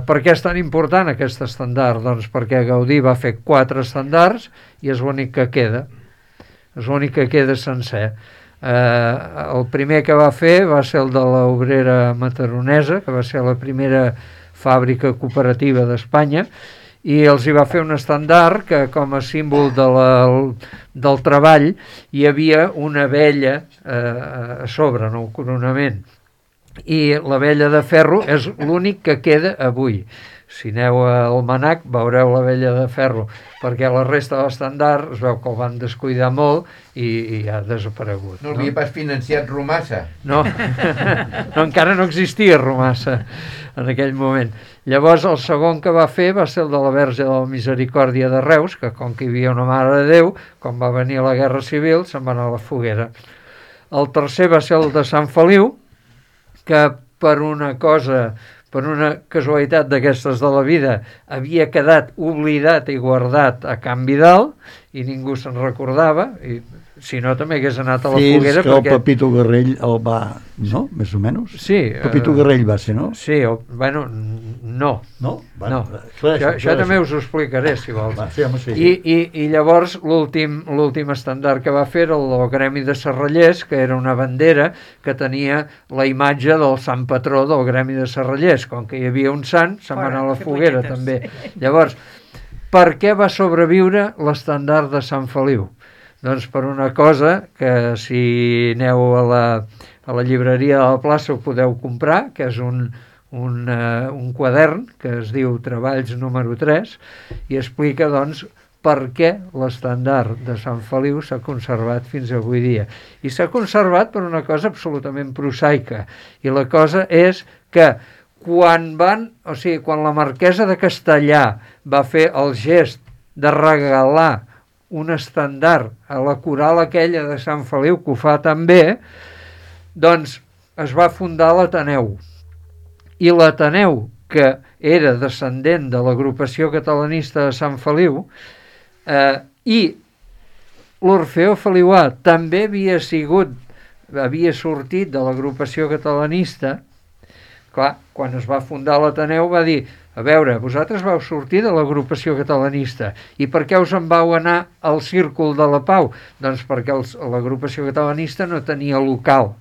per què és tan important aquest estandard? Doncs perquè Gaudí va fer 4 estandards i és l'únic que queda. És l'únic que queda sencer. El primer que va fer va ser el de l'Obrera Mataronesa, que va ser la primera fàbrica cooperativa d'Espanya, i els hi va fer un estandard que com a símbol del treball hi havia una abella a sobre, en el coronament, i l'abella de ferro és l'únic que queda avui. Si aneu al Manac veureu l'abella de ferro, perquè la resta de l'estandard es veu que el van descuidar molt i ha desaparegut. No l'havia pas financiat Romassa? No, encara no existia Romassa en aquell moment. Llavors el segon que va fer va ser el de la Verge de la Misericòrdia de Reus, que com que hi havia una Mare de Déu, quan va venir la Guerra Civil se'n va anar a la foguera. El tercer va ser el de Sant Feliu, que per una casualitat d'aquestes de la vida havia quedat oblidat i guardat a Can Vidal i ningú se'n recordava, i si no també hagués anat a la foguera. Fins que el Pepito Garrell el va... No? Més o menys? Sí. Pepito Garrell va ser, no? Sí, bueno, no. No? No. Això també us ho explicaré, si vols. Va, sí, home, sí. I llavors l'últim estandard que va fer era el Gremi de Serrallers, que era una bandera que tenia la imatge del sant patró del Gremi de Serrallers. Com que hi havia un sant, se'n va anar a la foguera també. Llavors, per què va sobreviure l'estandard de Sant Feliu? Doncs per una cosa que si aneu a la llibreria de la plaça ho podeu comprar, que és un quadern que es diu Treballs número 3 i explica doncs per què l'estandard de Sant Feliu s'ha conservat fins avui dia. I s'ha conservat per una cosa absolutament prosaica, i la cosa és que quan la marquesa de Castellà va fer el gest de regalar un estandard a la coral aquella de Sant Feliu, que ho fa també, doncs es va fundar l'Ateneu. I l'Ateneu, que era descendent de l'agrupació catalanista de Sant Feliu, i l'Orfeó Feliuà també havia sortit de l'agrupació catalanista. Clar, quan es va fundar l'Ateneu va dir: a veure, vosaltres vau sortir de l'agrupació catalanista, i per què us en vau anar al Círcul de la Pau? Doncs perquè l'agrupació catalanista no tenia local,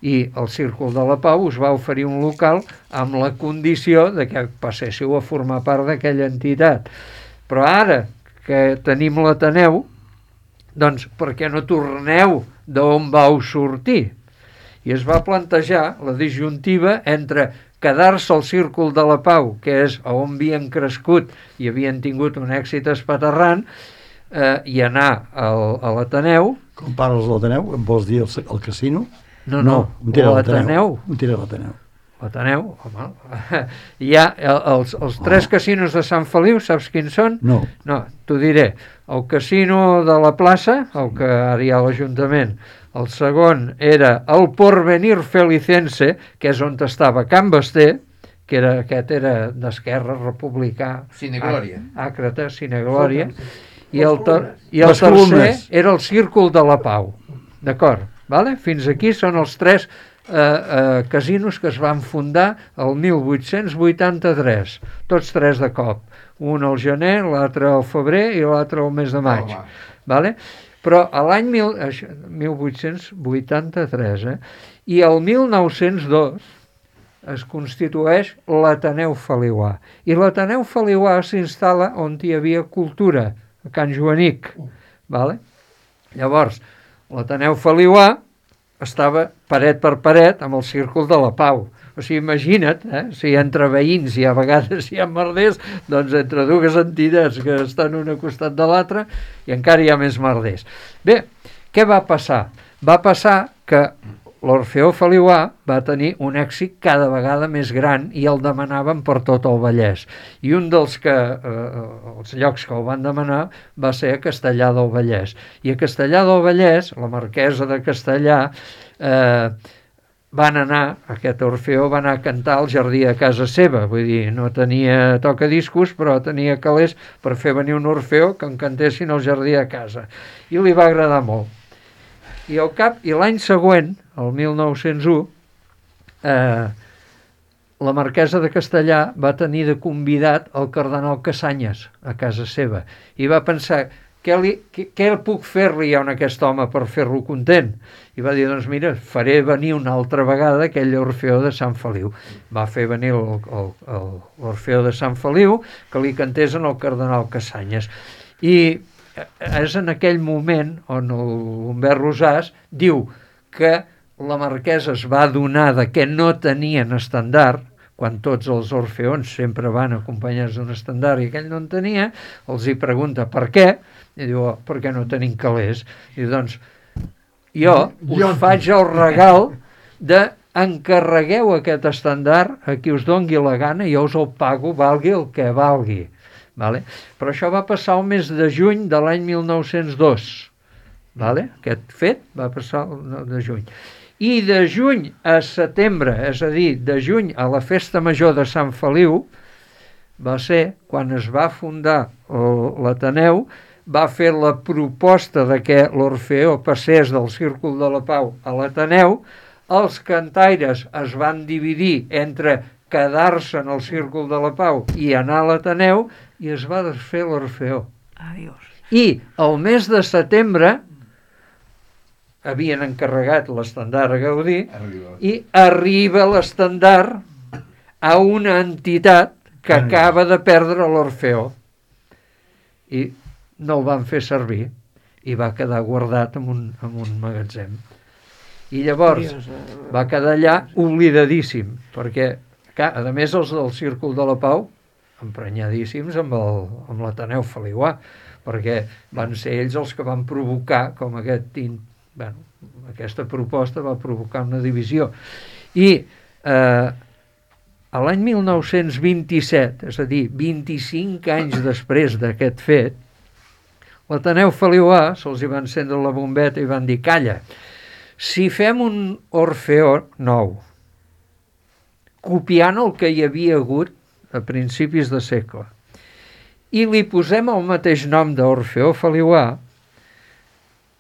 i el Círcul de la Pau us va oferir un local amb la condició de que passéssiu a formar part d'aquella entitat. Però ara que tenim l'Ateneu, doncs per què no torneu d'on vau sortir? I es va plantejar la disjuntiva entre quedar-se al Círcul de la Pau, que és on havien crescut i havien tingut un èxit espaterrant, i anar a l'Ateneu. Com parles de l'Ateneu? Em vols dir el casino? No, l'Ateneu. On tira l'Ateneu? L'Ateneu, home. Hi ha els 3 casinos de Sant Feliu, saps quins són? No. No, t'ho diré. El casino de la plaça, el que ara hi ha a l'Ajuntament. El segon era el Porvenir Felicense, que és on estava Can Basté, que aquest era d'esquerra, republicà, Cineglòria. àcrata, Cineglòria, i el tercer era el Círcul de la Pau. D'acord? Vale? Fins aquí són els 3 casinos que es van fundar el 1883, tots 3 de cop. Un al gener, l'altre al febrer i l'altre al mes de maig. Vale? Però a l'any 1883, i el 1902 es constitueix l'Ateneu Feliuà. I l'Ateneu Feliuà s'instal·la on hi havia cultura, a Can Joanic. Vale? Llavors, l'Ateneu Feliuà estava paret per paret amb el Círcul de la Pau. O sigui, imagina't, si entre veïns i a vegades hi ha merders, doncs entre dues entitats que estan una costat de l'altra i encara hi ha més merders. Bé, què va passar? Va passar que l'Orfeó Feliuà va tenir un èxit cada vegada més gran i el demanaven per tot el Vallès. I un dels els llocs que el van demanar va ser a Castellar del Vallès. I a Castellar del Vallès, la marquesa de Castellar, aquest Orfeó va anar a cantar al jardí de casa seva. Vull dir, no tenia tocadiscos, però tenia calés per fer venir un Orfeó que en cantessin al jardí de casa. I li va agradar molt. I l'any següent, el 1901, la marquesa de Castellar va tenir de convidat el cardenal Casanyes a casa seva i va pensar, què puc fer-li a aquest home per fer-lo content? I va dir, doncs mira, faré venir una altra vegada aquell Orfeó de Sant Feliu. Va fer venir l'Orfeó de Sant Feliu que li cantés en el cardenal Casanyes. I és en aquell moment on l'Humbert Rosàs diu que la marquesa es va adonar que no tenien estendard, quan tots els orfeons sempre van acompanyats d'un estendard i aquell no en tenia, els hi pregunta per què, i diu, perquè no tenim calés. I diu, doncs, jo us faig el regal de encarregueu aquest estendard a qui us dongui la gana i jo us el pago, valgui el que valgui. Vale? Però això va passar el mes de juny de l'any 1902. Vale? Aquest fet va passar el de juny. I de juny a setembre, és a dir, de juny a la festa major de Sant Feliu, va ser quan es va fundar l'Ateneu, va fer la proposta de que l'Orfeó passés del Círcul de la Pau a l'Ateneu, els cantaires es van dividir entre quedar-se en el Círcul de la Pau i anar a l'Ateneu, i es va desfer l'Orfeó. Adiós. I el mes de setembre havien encarregat l'estendard a Gaudí i arriba l'estendard a una entitat que acaba de perdre l'Orfeó. I no el van fer servir i va quedar guardat en un magatzem. I llavors va quedar allà oblidadíssim, perquè, clar, a més els del Círcul de la Pau emprenyadíssims amb l'Ateneu Feliuà, perquè van ser ells els que van provocar com aquesta proposta va provocar una divisió. I a l'any 1927, és a dir, 25 anys després d'aquest fet, l'Ateneu Feliuà se'ls hi va encendre la bombeta i van dir, calla, si fem un Orfeó nou, copiant el que hi havia hagut a principis de segle, i li posem el mateix nom d'Orfeó Feliuà,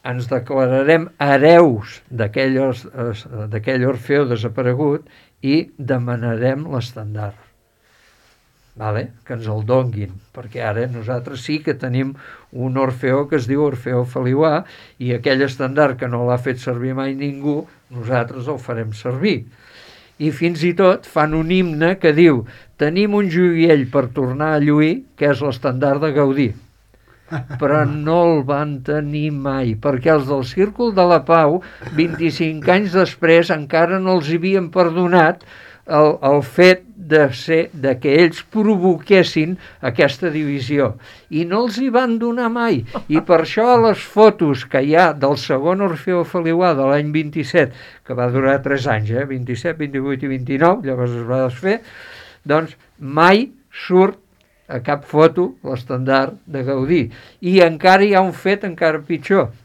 ens declararem hereus d'aquell Orfeó desaparegut i demanarem l'estendard. Vale? Que ens el donguin, perquè ara nosaltres sí que tenim un Orfeó que es diu Orfeó Feliuà i aquell estendard que no l'ha fet servir mai ningú, nosaltres el farem servir. I fins i tot fan un himne que diu tenim un joiell per tornar a lluir, que és l'estendard de Gaudí. Però no el van tenir mai, perquè els del Círcul de la Pau, 25 anys després, encara no els havien perdonat el fet de que ells provoquessin aquesta divisió. I no els hi van donar mai. I per això a les fotos que hi ha del segon Orfeó Feliuà de l'any 27, que va durar 3 anys, 27, 28 i 29, llavors es va desfer, doncs mai surt a cap foto l'estendard de Gaudí. I encara hi ha un fet encara pitjor,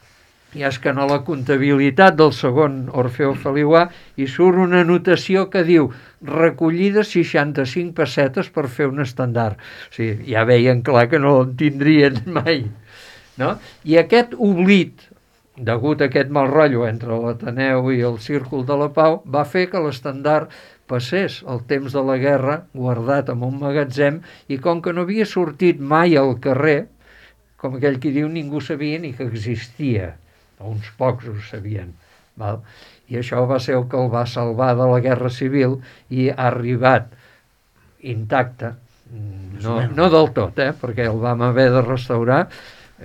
i és que en la comptabilitat del segon Orfeó Feliuà hi surt una anotació que diu recollides 65 pessetes per fer un estendard. O sigui, ja veien clar que no en tindrien mai. No? I aquest oblit, degut a aquest mal rotllo entre l'Ateneu i el Círcul de la Pau, va fer que l'estendard passés el temps de la guerra guardat en un magatzem i com que no havia sortit mai al carrer, com aquell qui diu, ningú sabia ni que existia. Uns pocs ho sabien. Val? i això va ser el que el va salvar de la Guerra Civil i ha arribat intacte, no del tot, perquè el vam haver de restaurar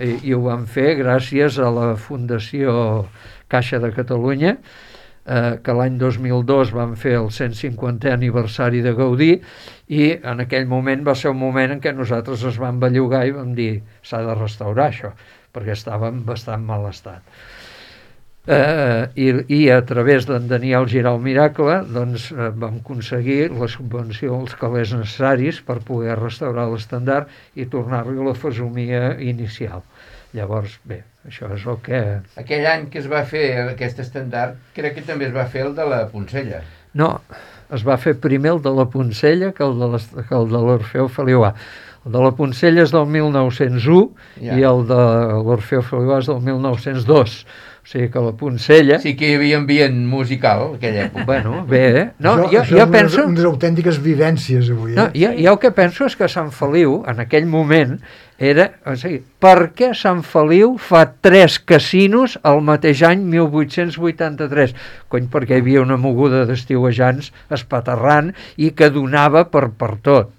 i ho vam fer gràcies a la Fundació Caixa de Catalunya, que l'any 2002 van fer el 150è aniversari de Gaudí, i en aquell moment va ser un moment en què nosaltres es vam bellugar i vam dir s'ha de restaurar això, perquè estava en bastant mal estat. I a través d'en Daniel Giral Miracle doncs, vam aconseguir la subvenció als calés necessaris per poder restaurar l'estendard i tornar-li a la fesomia inicial. Llavors, bé, això és el que... Aquell any que es va fer aquest estendard, crec que també es va fer el de la Poncella. No, es va fer primer el de la Poncella que el de l'Orfeu Feliuà. El de la Poncella és del 1901 i el de l'Orfeu Feliuà és del 1902. O sigui que la Poncella... Sí que hi havia ambient musical, aquella època. Bueno, bé, no, això jo penso... unes autèntiques vivències avui. No, jo el que penso és que Sant Feliu, en aquell moment, era... O sigui, per què Sant Feliu fa 3 casinos el mateix any 1883? Cony, perquè hi havia una moguda d'estiuejants espaterrant i que donava per tot.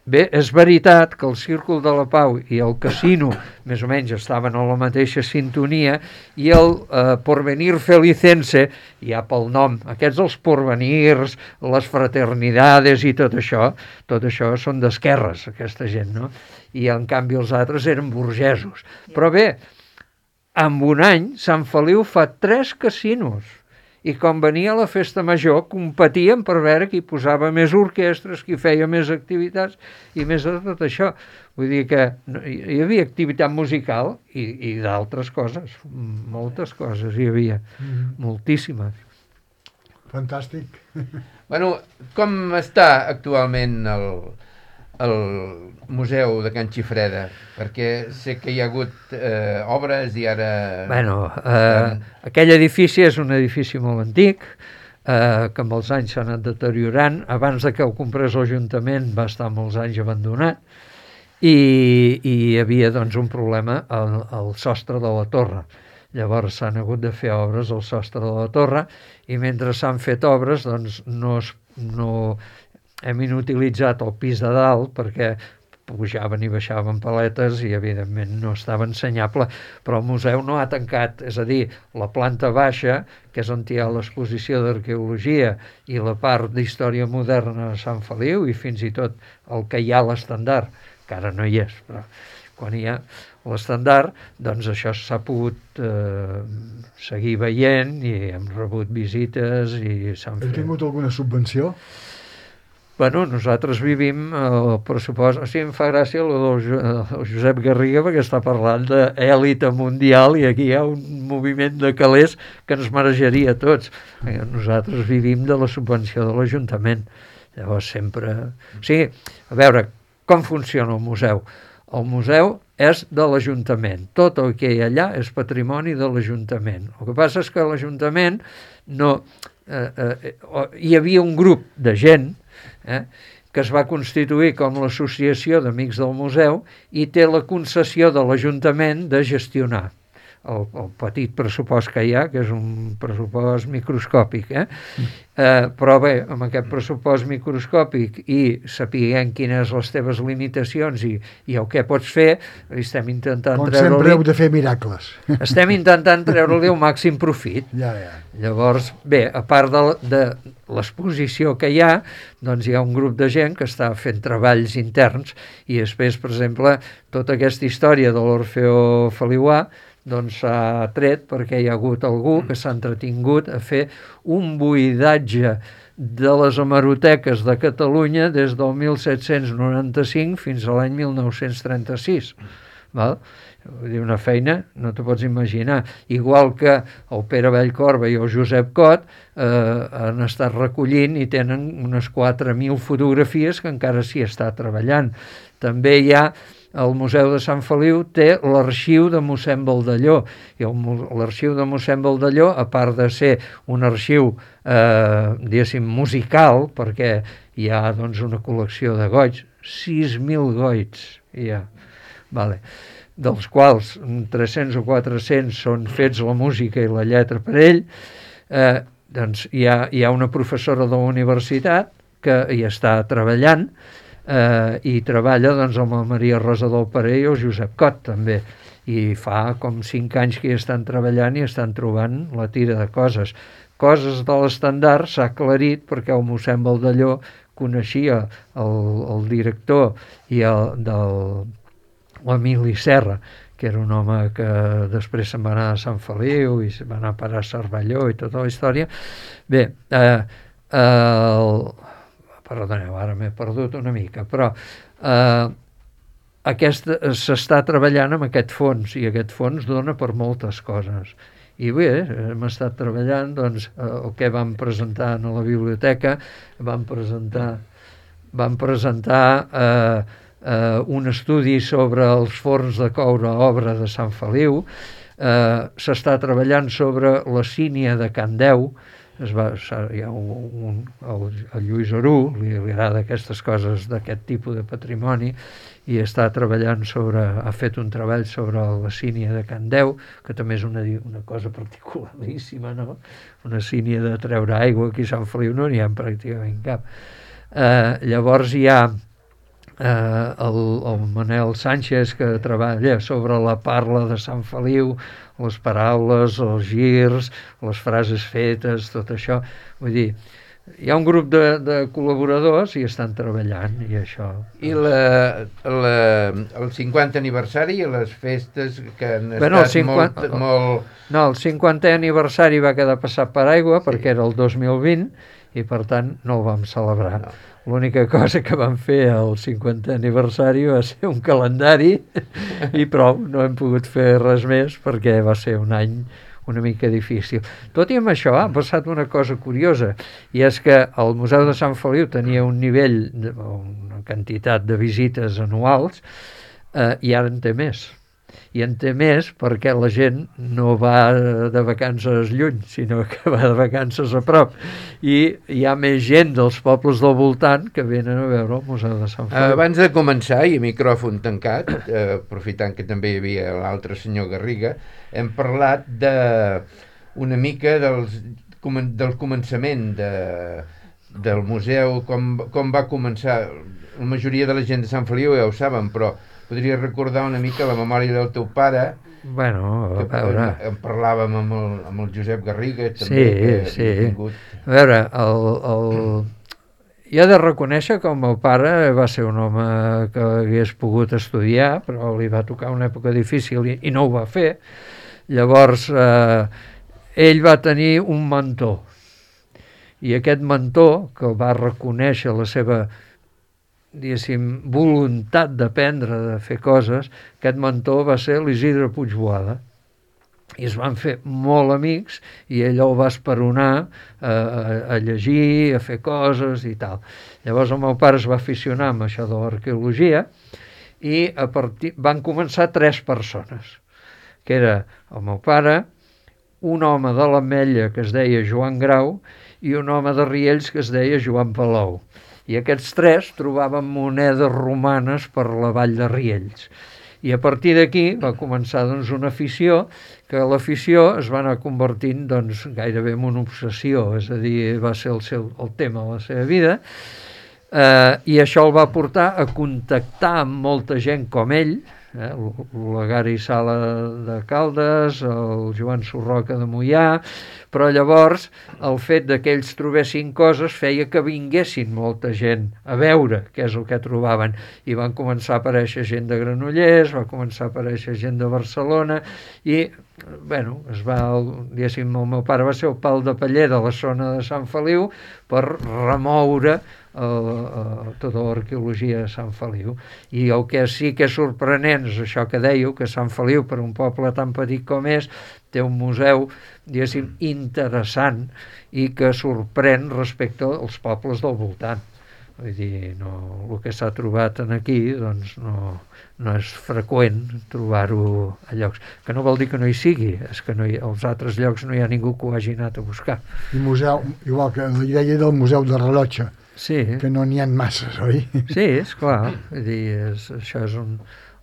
Bé, és veritat que el Círcul de la Pau i el casino més o menys estaven a la mateixa sintonia i el Porvenir Felicense, ja pel nom, aquests els porvenirs, les fraternidades i tot això són d'esquerres, aquesta gent, no? I en canvi els altres eren burgesos. Però bé, en un any Sant Feliu fa 3 casinos. I quan venia la festa major competien per veure qui posava més orquestres, qui feia més activitats i més de tot això. Vull dir que hi havia activitat musical i d'altres coses, moltes coses hi havia, moltíssimes. Fantàstic. Bueno, com està actualment el Museu de Can Xifreda? Perquè sé que hi ha hagut obres i ara... Bueno, aquell edifici és un edifici molt antic, que amb els anys s'ha anat deteriorant. Abans de que ho comprés l'Ajuntament va estar molts anys abandonat i hi havia doncs, un problema al sostre de la torre. Llavors s'han hagut de fer obres al sostre de la torre i mentre s'han fet obres doncs, no hem inutilitzat el pis de dalt perquè pujaven i baixaven paletes i evidentment no estava ensenyable, però el museu no ha tancat, és a dir, la planta baixa, que és on hi ha l'exposició d'arqueologia i la part d'història moderna de Sant Feliu i fins i tot el que hi ha a l'estendard, que ara no hi és, però quan hi ha l'estendard, doncs això s'ha pogut seguir veient i hem rebut visites i s'han fet... Heu tingut alguna subvenció? Bueno, nosaltres vivim el pressupost... O sigui, em fa gràcia el Josep Garriga perquè està parlant d'èlita mundial i aquí hi ha un moviment de calés que ens marejaria a tots. Nosaltres vivim de la subvenció de l'Ajuntament. Llavors sempre... O sigui, a veure, com funciona el museu? El museu és de l'Ajuntament. Tot el que hi ha allà és patrimoni de l'Ajuntament. El que passa és que l'Ajuntament no... hi havia un grup de gent que es va constituir com l'Associació d'Amics del Museu i té la concessió de l'Ajuntament de gestionar el petit pressupost que hi ha, que és un pressupost microscòpic. Però bé, amb aquest pressupost microscòpic i sapiguem quines les teves limitacions i el que pots fer, estem intentant treure-li... Com sempre heu de fer miracles. Estem intentant treure-li el màxim profit. Ja. Llavors, bé, a part de l'exposició que hi ha, doncs hi ha un grup de gent que està fent treballs interns i després, per exemple, tota aquesta història de l'Orfeo Feliuà doncs s'ha tret perquè hi ha hagut algú que s'ha entretingut a fer un buidatge de les hemeroteques de Catalunya des del 1795 fins a l'any 1936. Val? Vull dir, una feina, no t'ho pots imaginar. Igual que el Pere Vallcorba i el Josep Cot han estat recollint i tenen unes 4.000 fotografies que encara s'hi està treballant. També hi ha el Museu de Sant Feliu té l'arxiu de mossèn Baldelló i l'arxiu de mossèn Baldelló, a part de ser un arxiu diguéssim musical, perquè hi ha doncs, una col·lecció de goigs, 6.000 goigs hi ha, vale, dels quals 300 o 400 són fets la música i la lletra per ell, Doncs hi ha una professora de la universitat que hi està treballant i treballa doncs, amb la Maria Rosa del Parer i el Josep Cot també, i fa com 5 anys que hi estan treballant i estan trobant la tira de coses de l'estandard. S'ha aclarit perquè el mossèn Baldelló coneixia el director i de l'Emili Serra, que era un home que després se'n va anar a Sant Feliu i se'n va anar a parar a Cervelló i tota la història. Bé, perdoneu, ara m'he perdut una mica, però s'està treballant amb aquest fons, i aquest fons dona per moltes coses. I bé, hem estat treballant, doncs, el que vam presentar a la biblioteca, vam presentar un estudi sobre els forns de coure, obra de Sant Feliu. S'està treballant sobre la sínia de Can Deu. Hi ha el Lluís Arú, li agrada aquestes coses d'aquest tipus de patrimoni, i està treballant ha fet un treball sobre la sínia de Can Deu, que també és una cosa particularíssima, no? Una sínia de treure aigua, aquí a Sant Feliu no n'hi ha pràcticament cap. Llavors hi ha el Manel Sánchez, que treballa sobre la parla de Sant Feliu, les paraules, els girs, les frases fetes, tot això. Vull dir, hi ha un grup de col·laboradors i estan treballant, i això. I el 50 aniversari i les festes que han estat molt... No, el 50è aniversari va quedar passat per aigua, perquè era el 2020, i per tant no el vam celebrar. No. L'única cosa que vam fer al 50è aniversari va ser un calendari i prou, no hem pogut fer res més perquè va ser un any una mica difícil. Tot i amb això ha passat una cosa curiosa, i és que el Museu de Sant Feliu tenia un nivell, una quantitat de visites anuals, i ara en té més. I en té més perquè la gent no va de vacances lluny, sinó que va de vacances a prop. I hi ha més gent dels pobles del voltant que venen a veure el Museu de Sant Feliu. Abans de començar, i micròfon tancat, aprofitant que també hi havia l'altre senyor Garriga, hem parlat una mica del començament del museu, com va començar. La majoria de la gent de Sant Feliu ja ho saben, però podria recordar una mica la memòria del teu pare. Bueno, a veure... En parlàvem amb el Josep Garriga, també, sí. A veure, jo he de reconèixer que el meu pare va ser un home que hagués pogut estudiar, però li va tocar una època difícil i no ho va fer. Llavors, ell va tenir un mentor, i aquest mentor, que va reconèixer la seva, diguéssim, voluntat d'aprendre, de fer coses, aquest mentor va ser l'Isidre Puigboada, i es van fer molt amics, i ell el va esperonar a llegir, a fer coses i tal. Llavors el meu pare es va aficionar amb això de l'arqueologia, i van començar 3 persones, que era el meu pare, un home de l'Ametlla que es deia Joan Grau i un home de Riells que es deia Joan Palou. I aquests 3 trobaven monedes romanes per la vall de Riells. I a partir d'aquí va començar doncs, una afició, que l'afició es va anar convertint doncs, gairebé en una obsessió, és a dir, va ser el tema de la seva vida, i això el va portar a contactar amb molta gent com ell, la Gari Sala de Caldes, el Joan Sorroca de Moià, però llavors el fet que ells trobessin coses feia que vinguessin molta gent a veure què és el que trobaven, i van començar a aparèixer gent de Granollers, va començar a aparèixer gent de Barcelona, i bueno, diguéssim, el meu pare va ser el pal de paller de la zona de Sant Feliu per remoure tota l'arqueologia de Sant Feliu. I el que sí que és sorprenent és això que dèieu, que Sant Feliu, per un poble tan petit com és, té un museu, diguéssim, interessant i que sorprèn respecte als pobles del voltant. Vull dir, el que s'ha trobat aquí doncs no és freqüent trobar-ho a llocs. Que no vol dir que no hi sigui, és que als altres llocs no hi ha ningú que ho hagi anat a buscar. I museu, igual que la idea del Museu de Rellotge, sí, que no n'hi ha masses, oi? Sí, és clar. Vull dir, això és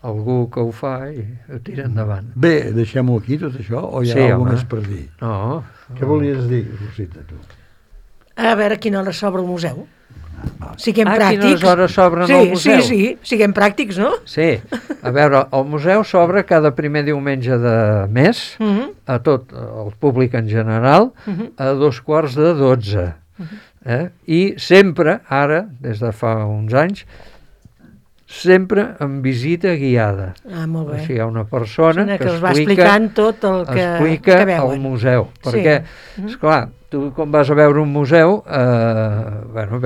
algú que ho fa i ho tira endavant. Bé, deixem-ho aquí, tot això, o hi ha alguna més per dir? No, Què volies dir, Rosita, tu? A veure a quina hora s'obre el museu. Siguem A pràctics. quines hores s'obren el museu? Sí, siguem pràctics, no? Sí, a veure, el museu s'obre cada primer diumenge de mes a tot el públic en general a 11:45. I sempre, ara, des de fa uns anys, sempre amb visita guiada. Molt bé. O sigui, hi ha una persona que els va explicant tot el que veuen. El museu. Perquè, esclar, tu quan vas a veure un museu,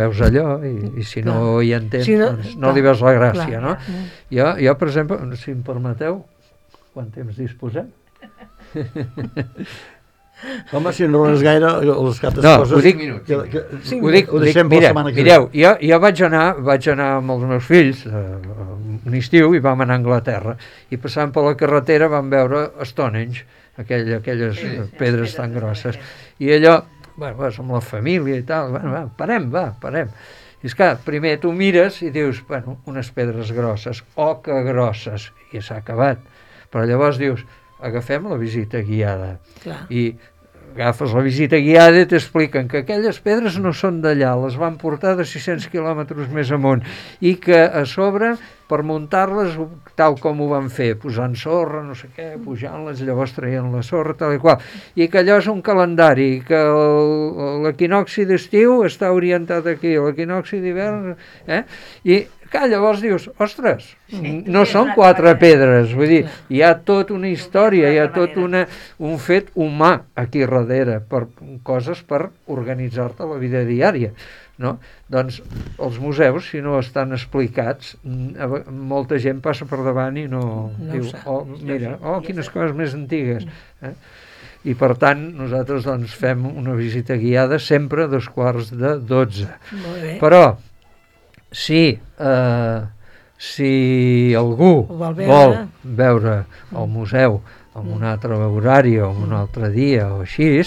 veus allò i si no hi entens, doncs no li veus la gràcia, no? Jo, per exemple, si em permeteu, quant temps disposem? Home, si no res gaire, les cates coses... No, ho dic, mireu, jo vaig anar amb els meus fills un estiu i vam anar a Anglaterra i passant per la carretera vam veure Stonehenge, aquelles pedres tan grosses, i allò, vas amb la família i tal, parem. I és clar, primer tu mires i dius, unes pedres grosses, que grosses, i s'ha acabat, però llavors dius, agafem la visita guiada. I agafes la visita guiada i t'expliquen que aquelles pedres no són d'allà, les van portar de 600 quilòmetres més amunt i que a sobre, per muntar-les tal com ho van fer, posant sorra, no sé què, pujant-les, llavors traient la sorra, tal i qual, i que allò és un calendari, que l'equinoxi d'estiu està orientat aquí, l'equinoxi d'hivern, i que llavors dius, ostres, no són 4 pedres, vull dir, hi ha tota una història, hi ha tot un fet humà aquí darrere, per coses per organitzar-te la vida diària, no? Doncs els museus, si no estan explicats, molta gent passa per davant i no diu, mira, quines coses més antigues. I per tant, nosaltres doncs fem una visita guiada sempre a 11:45. Però, si algú vol veure el museu en un altre horari o en un altre dia o així,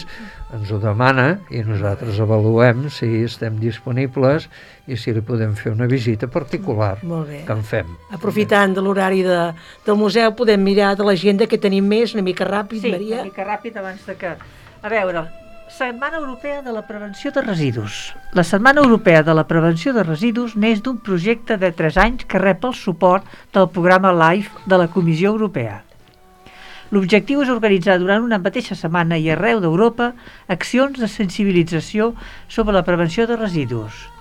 ens ho demana i nosaltres avaluem si estem disponibles i si li podem fer una visita particular que en fem. Aprofitant de l'horari del museu podem mirar de l'agenda que tenim més, una mica ràpid, Maria. Sí, una mica ràpid abans de que... A veure, Setmana Europea de la Prevenció de Residus. La Setmana Europea de la Prevenció de Residus neix d'un projecte de 3 anys que rep el suport del programa LIFE de la Comissió Europea. L'objectiu és organitzar durant una mateixa setmana i arreu d'Europa accions de sensibilització sobre la prevenció de residus.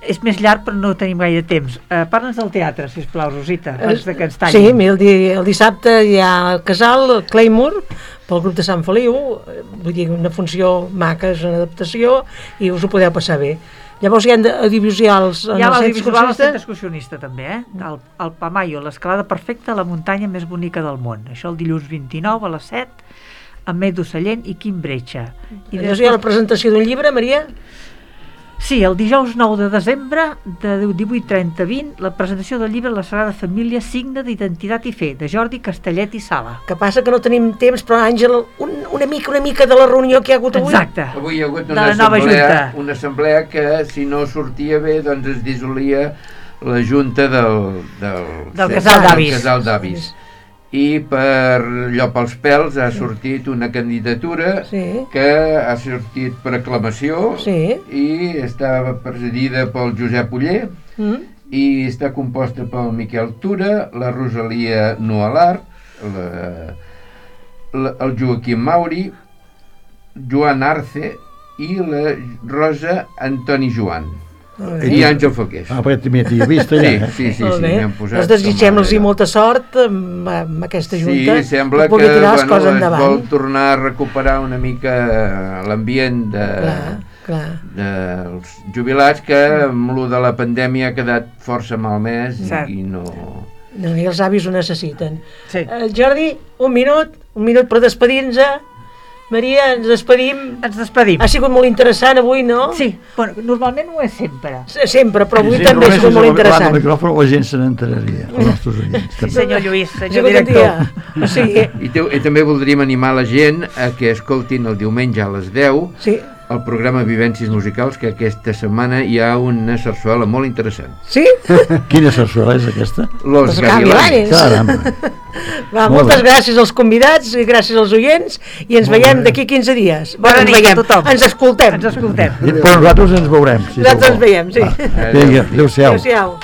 És més llarg però no tenim gaire temps. Parla'ns del teatre, sisplau, Rosita, abans de que ens tallin. Sí, el dissabte hi ha el Casal, el Claymore, pel grup de Sant Feliu, vull dir, una funció maca, és una adaptació, i us ho podeu passar bé. Llavors hi ha audiovisuals en el centre excursionista també, el Pamayo, l'escalada perfecta a la muntanya més bonica del món. Això el dilluns 29 a les 7, amb Edu Sallent i Quim Bretxa. I després hi ha la presentació d'un llibre, Maria? Sí, el dijous 9 de desembre de 18:30-20, la presentació del llibre La Sagrada Família, signe d'identitat i fe, de Jordi Castellet i Sala. Que passa que no tenim temps, però Àngel, una mica de la reunió que hi ha hagut avui. Exacte. Avui hi ha hagut una assemblea que, si no sortia bé, doncs es dissolia la junta del casal d'avis. I pels pèls ha sortit una candidatura que ha sortit per aclamació i està presidida pel Josep Oller i està composta pel Miquel Tura, la Rosalia Nualar, el Joaquim Mauri, Joan Arce i la Rosa Antoni Joan. I Àngel Foqués. Perquè t'hi he vist allà. Sí, m'han posat. Els desitgem-los molta sort amb aquesta junta. Sí, sembla que es vol tornar a recuperar una mica l'ambient dels jubilats, que amb lo de la pandèmia ha quedat força malmès i no... I els avis ho necessiten. Jordi, un minut per despedir-nos. Maria, ens despedim. Ha sigut molt interessant avui, no? Sí, bueno, normalment ho és sempre. Sempre, però avui també ha sigut molt interessant. El micròfon la gent se n'enteraria, els nostres oients. Sí, senyor Lluís, senyor director. I també voldríem animar la gent a que escoltin el diumenge a les 10 al programa Vivències Musicals, que aquesta setmana hi ha una sarsuela molt interessant. Sí? Quina sarsuela és aquesta? Los Gavilanes. Caramba. Va, Molt moltes bé. gràcies als convidats i gràcies als oients i ens veiem d'aquí 15 dies. Bona ens nit a veiem. tothom. Ens escoltem. Ens escoltem. Però nosaltres ens veurem. Si Nosaltres sou ens veiem, sí. Vinga, adéu-siau. Adéu-siau.